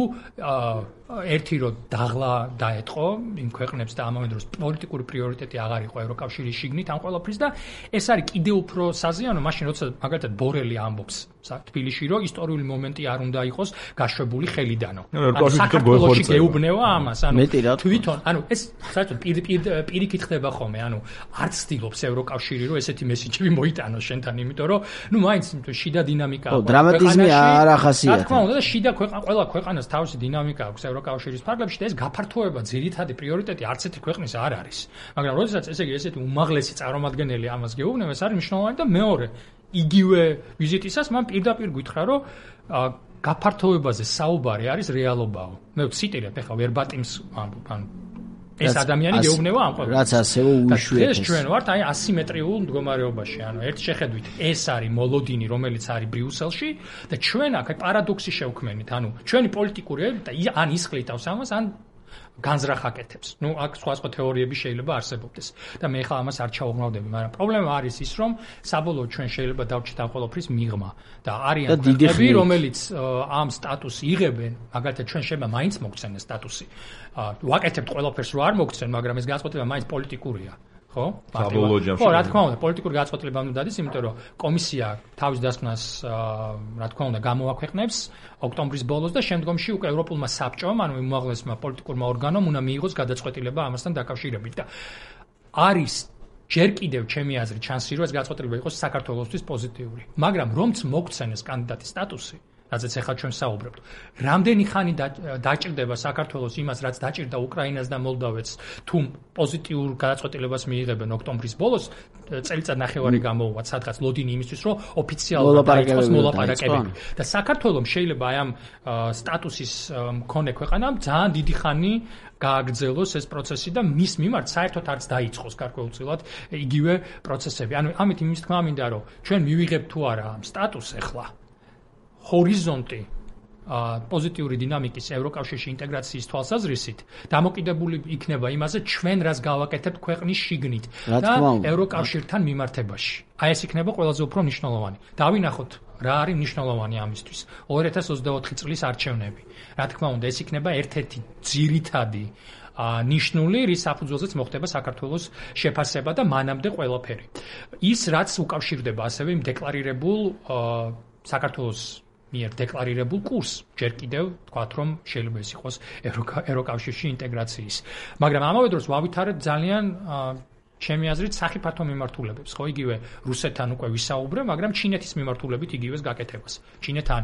ერთი რო დაღლა დაეთყო იმ ქვეყნებს და ამავე დროს პოლიტიკური პრიორიტეტი აღარ იყო ევროკავშირის შიგნით ამ ყველაფრის და ეს არის კიდევ უფრო საზიანო, მაშინ როცა მაგალითად ბორელი ამბობს თბილისში, რომ ისტორიული მომენტი არ უნდა იყოს გაშვებული ხელიდანო. საქართველოში გეუბნება ამას, ანუ თვითონ, ანუ ეს საერთოდ პირიქით ხდება ხოლმე, ანუ არ ცდილობს ევროკავშირი, რომ ესეთი მესიჯები მოიტანოს შენთან, იმიტომ რომ ნუ მაინც შიდა დინამიკა აქვს. დრამატიზმი არ ახასიათებს. რა თქმა უნდა, და შიდა ქვეყანა, ყველა ქვეყანას თავისი დინამიკა აქვს ევროკავშირის ფარგლებში და ეს გაფართოება ძირითადი პრიორიტეტი არც ერთი ქვეყნის არ არის. მაგრამ როდესაც ესე იგი ესეთი უმაღლესი წარმომადგენელი ამას გეუბნება, ეს არის მნიშვნელოვანი და მეორე იგივე ვიზიტისას მან პირდაპირ გითხრა, რომ გაფართოებაზე საუბარი არის რეალობაო. მე ვციტირებ ახლა ვერბატიმს ანუ ეს ადამიანი გეუბნება ამ ყველაფერს. რაც ასევე უშვიათეს. ეს ჩვენ ვართ აი ასიმეტრიულ მდგომარეობაში, ანუ ერთ შეხედვით ეს არის მოლოდინი, რომელიც არის ბრიუსელში და ჩვენ აქ პარადოქსი შევქმნით, ანუ ჩვენი პოლიტიკური ელიტა ან ისხლიტავს ამას, ან განზრახ აკეთებს. ნუ აქ სხვა სხვა თეორიები შეიძლება არსებობდეს და მე ხა ამას არ ჩაუღმავდები, მაგრამ პრობლემა არის ის, რომ საბოლოოდ ჩვენ შეიძლება დავჭით ამ ყველაფრის მიღმა და არიან ქვეყნები, რომელიც ამ სტატუსს იღებენ, მაგალითად ჩვენ შეიძლება მაინც მოგცენ ეს სტატუსი. ვაკეთებთ ყველაფერს, რომ არ მოგცენ, მაგრამ ეს განწყობილება მაინც პოლიტიკურია. ხო? ხო, რა თქმა უნდა, პოლიტიკური განწყობილება უნდა დადის, იმიტომ რომ კომისია თავის დასკვნას, რა თქმა უნდა, გამოაქვეყნებს ოქტომბრის ბოლოს და შემდგომში უკვე ევროპულმა საბჭომ, ანუ უმაღლესმა პოლიტიკურმა ორგანომ უნდა მიიღოს გადაწყვეტილება ამასთან დაკავშირებით და არის ჯერ კიდევ ჩემი აზრით შანსი, რომ ეს გადაწყვეტილება იყოს საქართველოსთვის პოზიტიური. მაგრამ რომც მოგცენ ეს კანდიდატის სტატუსი, რაზეც ახლა ჩვენ საუბრობთ. რამდენი ხანი დაჭირდება საქართველოს იმას, რაც დაჭირდა უკრაინას და მოლდოვეთს, თუ პოზიტიურ გადაწყვეტილებას მიიღებენ ოქტომბრის ბოლოს, წელიწად ნახევარი გამოუვათ სადღაც ლოდინი იმისთვის, რომ ოფიციალურად დაიწყოს მოლაპარაკებები. და საქართველოს შეიძლება აი ამ სტატუსის მქონე ქვეყანამ ძალიან დიდი ხანი გააგრძელოს ეს პროცესი და მის მიმართ საერთოდ არც დაიწყოს გარკვეულწილად იგივე პროცესები. ანუ ამით იმის თქმა მინდა, რომ ჩვენ მივიღებთ თუ არა ამ სტატუსს ახლა ჰორიზონტი პოზიტიური დინამიკის ევროკავშირში ინტეგრაციის თვალსაზრისით დამოკიდებული იქნება იმაზე, ჩვენ რას გავაკეთებთ ქვეყნის შიგნით და ევროკავშირთან მიმართებაში. აი ეს იქნება ყველაზე უფრო მნიშვნელოვანი. დავინახოთ რა არის მნიშვნელოვანი ამისთვის. ორი ათას ოცდაოთხი წლის არჩევნები. რა თქმა უნდა, ეს იქნება ერთ-ერთი ძირითადი ნიშნული, რის საფუძველზეც მოხდება საქართველოს შეფასება და მანამდე ყველაფერი. ის რაც უკავშირდება ასევე იმ დეკლარირებულ საქართველოს მიერ დეკლარირებულ კურსს, ჯერ კიდევ თქვათ, რომ შეიძლება ეს იყოს ევროკავშირში ინტეგრაციის. მაგრამ ამავე დროს ვავითარებთ ძალიან ჩემი აზრით სახიფათო მიმართულებებს, ხო, იგივე რუსეთთან უკვე ვისაუბრე, მაგრამ ჩინეთის მიმართულებით იგივეს გაკეთებას. ჩინეთთან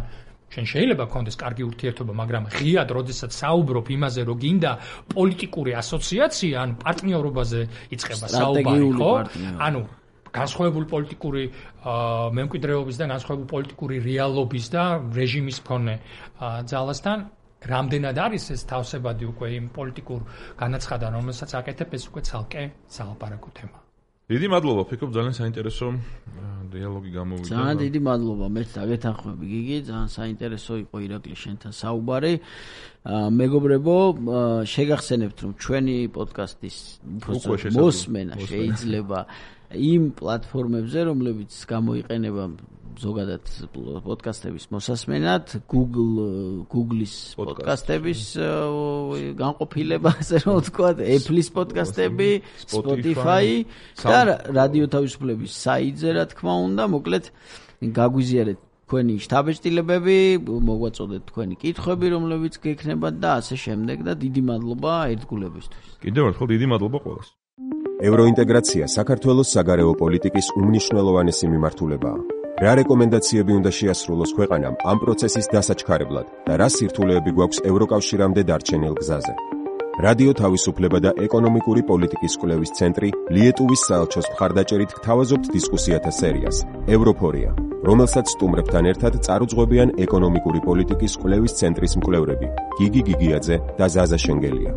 ჩვენ შეიძლება გქონდეს კარგი ურთიერთობა, მაგრამ ღიად როდესაც საუბრობ იმაზე, რომ გინდა პოლიტიკური ასოციაცია, ან პარტნიორობაზე იწყება საუბარი, ხო? ანუ განსხვავებული პოლიტიკური მემკვიდრეობის და განსხვავებული პოლიტიკური რეალობის და რეჟიმის მქონე ძალასთან რამდენად არის ეს თავსებადი უკვე იმ პოლიტიკურ განაცხადან, რომელსაც აკეთებ, ეს უკვე ცალკე სალაპარაკო თემა. დიდი მადლობა, ფიქრობ ძალიან საინტერესო დიალოგი გამოვიდა. ძალიან დიდი მადლობა, მეც დაგეთანხმები გიგი, ძალიან საინტერესო იყო ირაკლი შენთან საუბარი. მეგობრებო, შეგახსენებთ, რომ ჩვენი პოდკასტის მოსმენა შეიძლება იმ პლატფორმებზე, რომლებიც გამოიყენება ზოგადად პოდკასტების მოსასმენად, Google Google-ის პოდკასტების განყოფილება, ასე რომ ვთქვათ, Apple-ის პოდკასტები, Spotify და რადიო თავისუფლების საიტზე, რა თქმა უნდა, მოკლედ გაგვიზიარეთ თქვენი შთაბეჭდილებები, მოგვაწოდეთ თქვენი კითხვები, რომლებიც გექნებათ და ასე შემდეგ და დიდი მადლობა ერთგულებისთვის. კიდევ ერთხელ დიდი მადლობა ყველას. ევროინტეგრაცია საქართველოს საგარეო პოლიტიკის უმნიშვნელოვანესი მიმართულებაა. რა რეკომენდაციები უნდა შეასრულოს ქვეყანამ ამ პროცესის დასაჩქარებლად და რა სირთულეები გვაქვს ევროკავშირამდე დარჩენილ გზაზე. რადიო თავისუფლება და ეკონომიკური პოლიტიკის კვლევის ცენტრი ლიეტუვის საელჩოს მხარდაჭერით გთავაზობთ დისკუსიათა სერიას ევროფორია, რომელსაც სტუმრებთან ერთად წარუძღვებიან ეკონომიკური პოლიტიკის კვლევის ცენტრის მკვლევრები გიგი გიგიაძე და ზაზა შენგელია.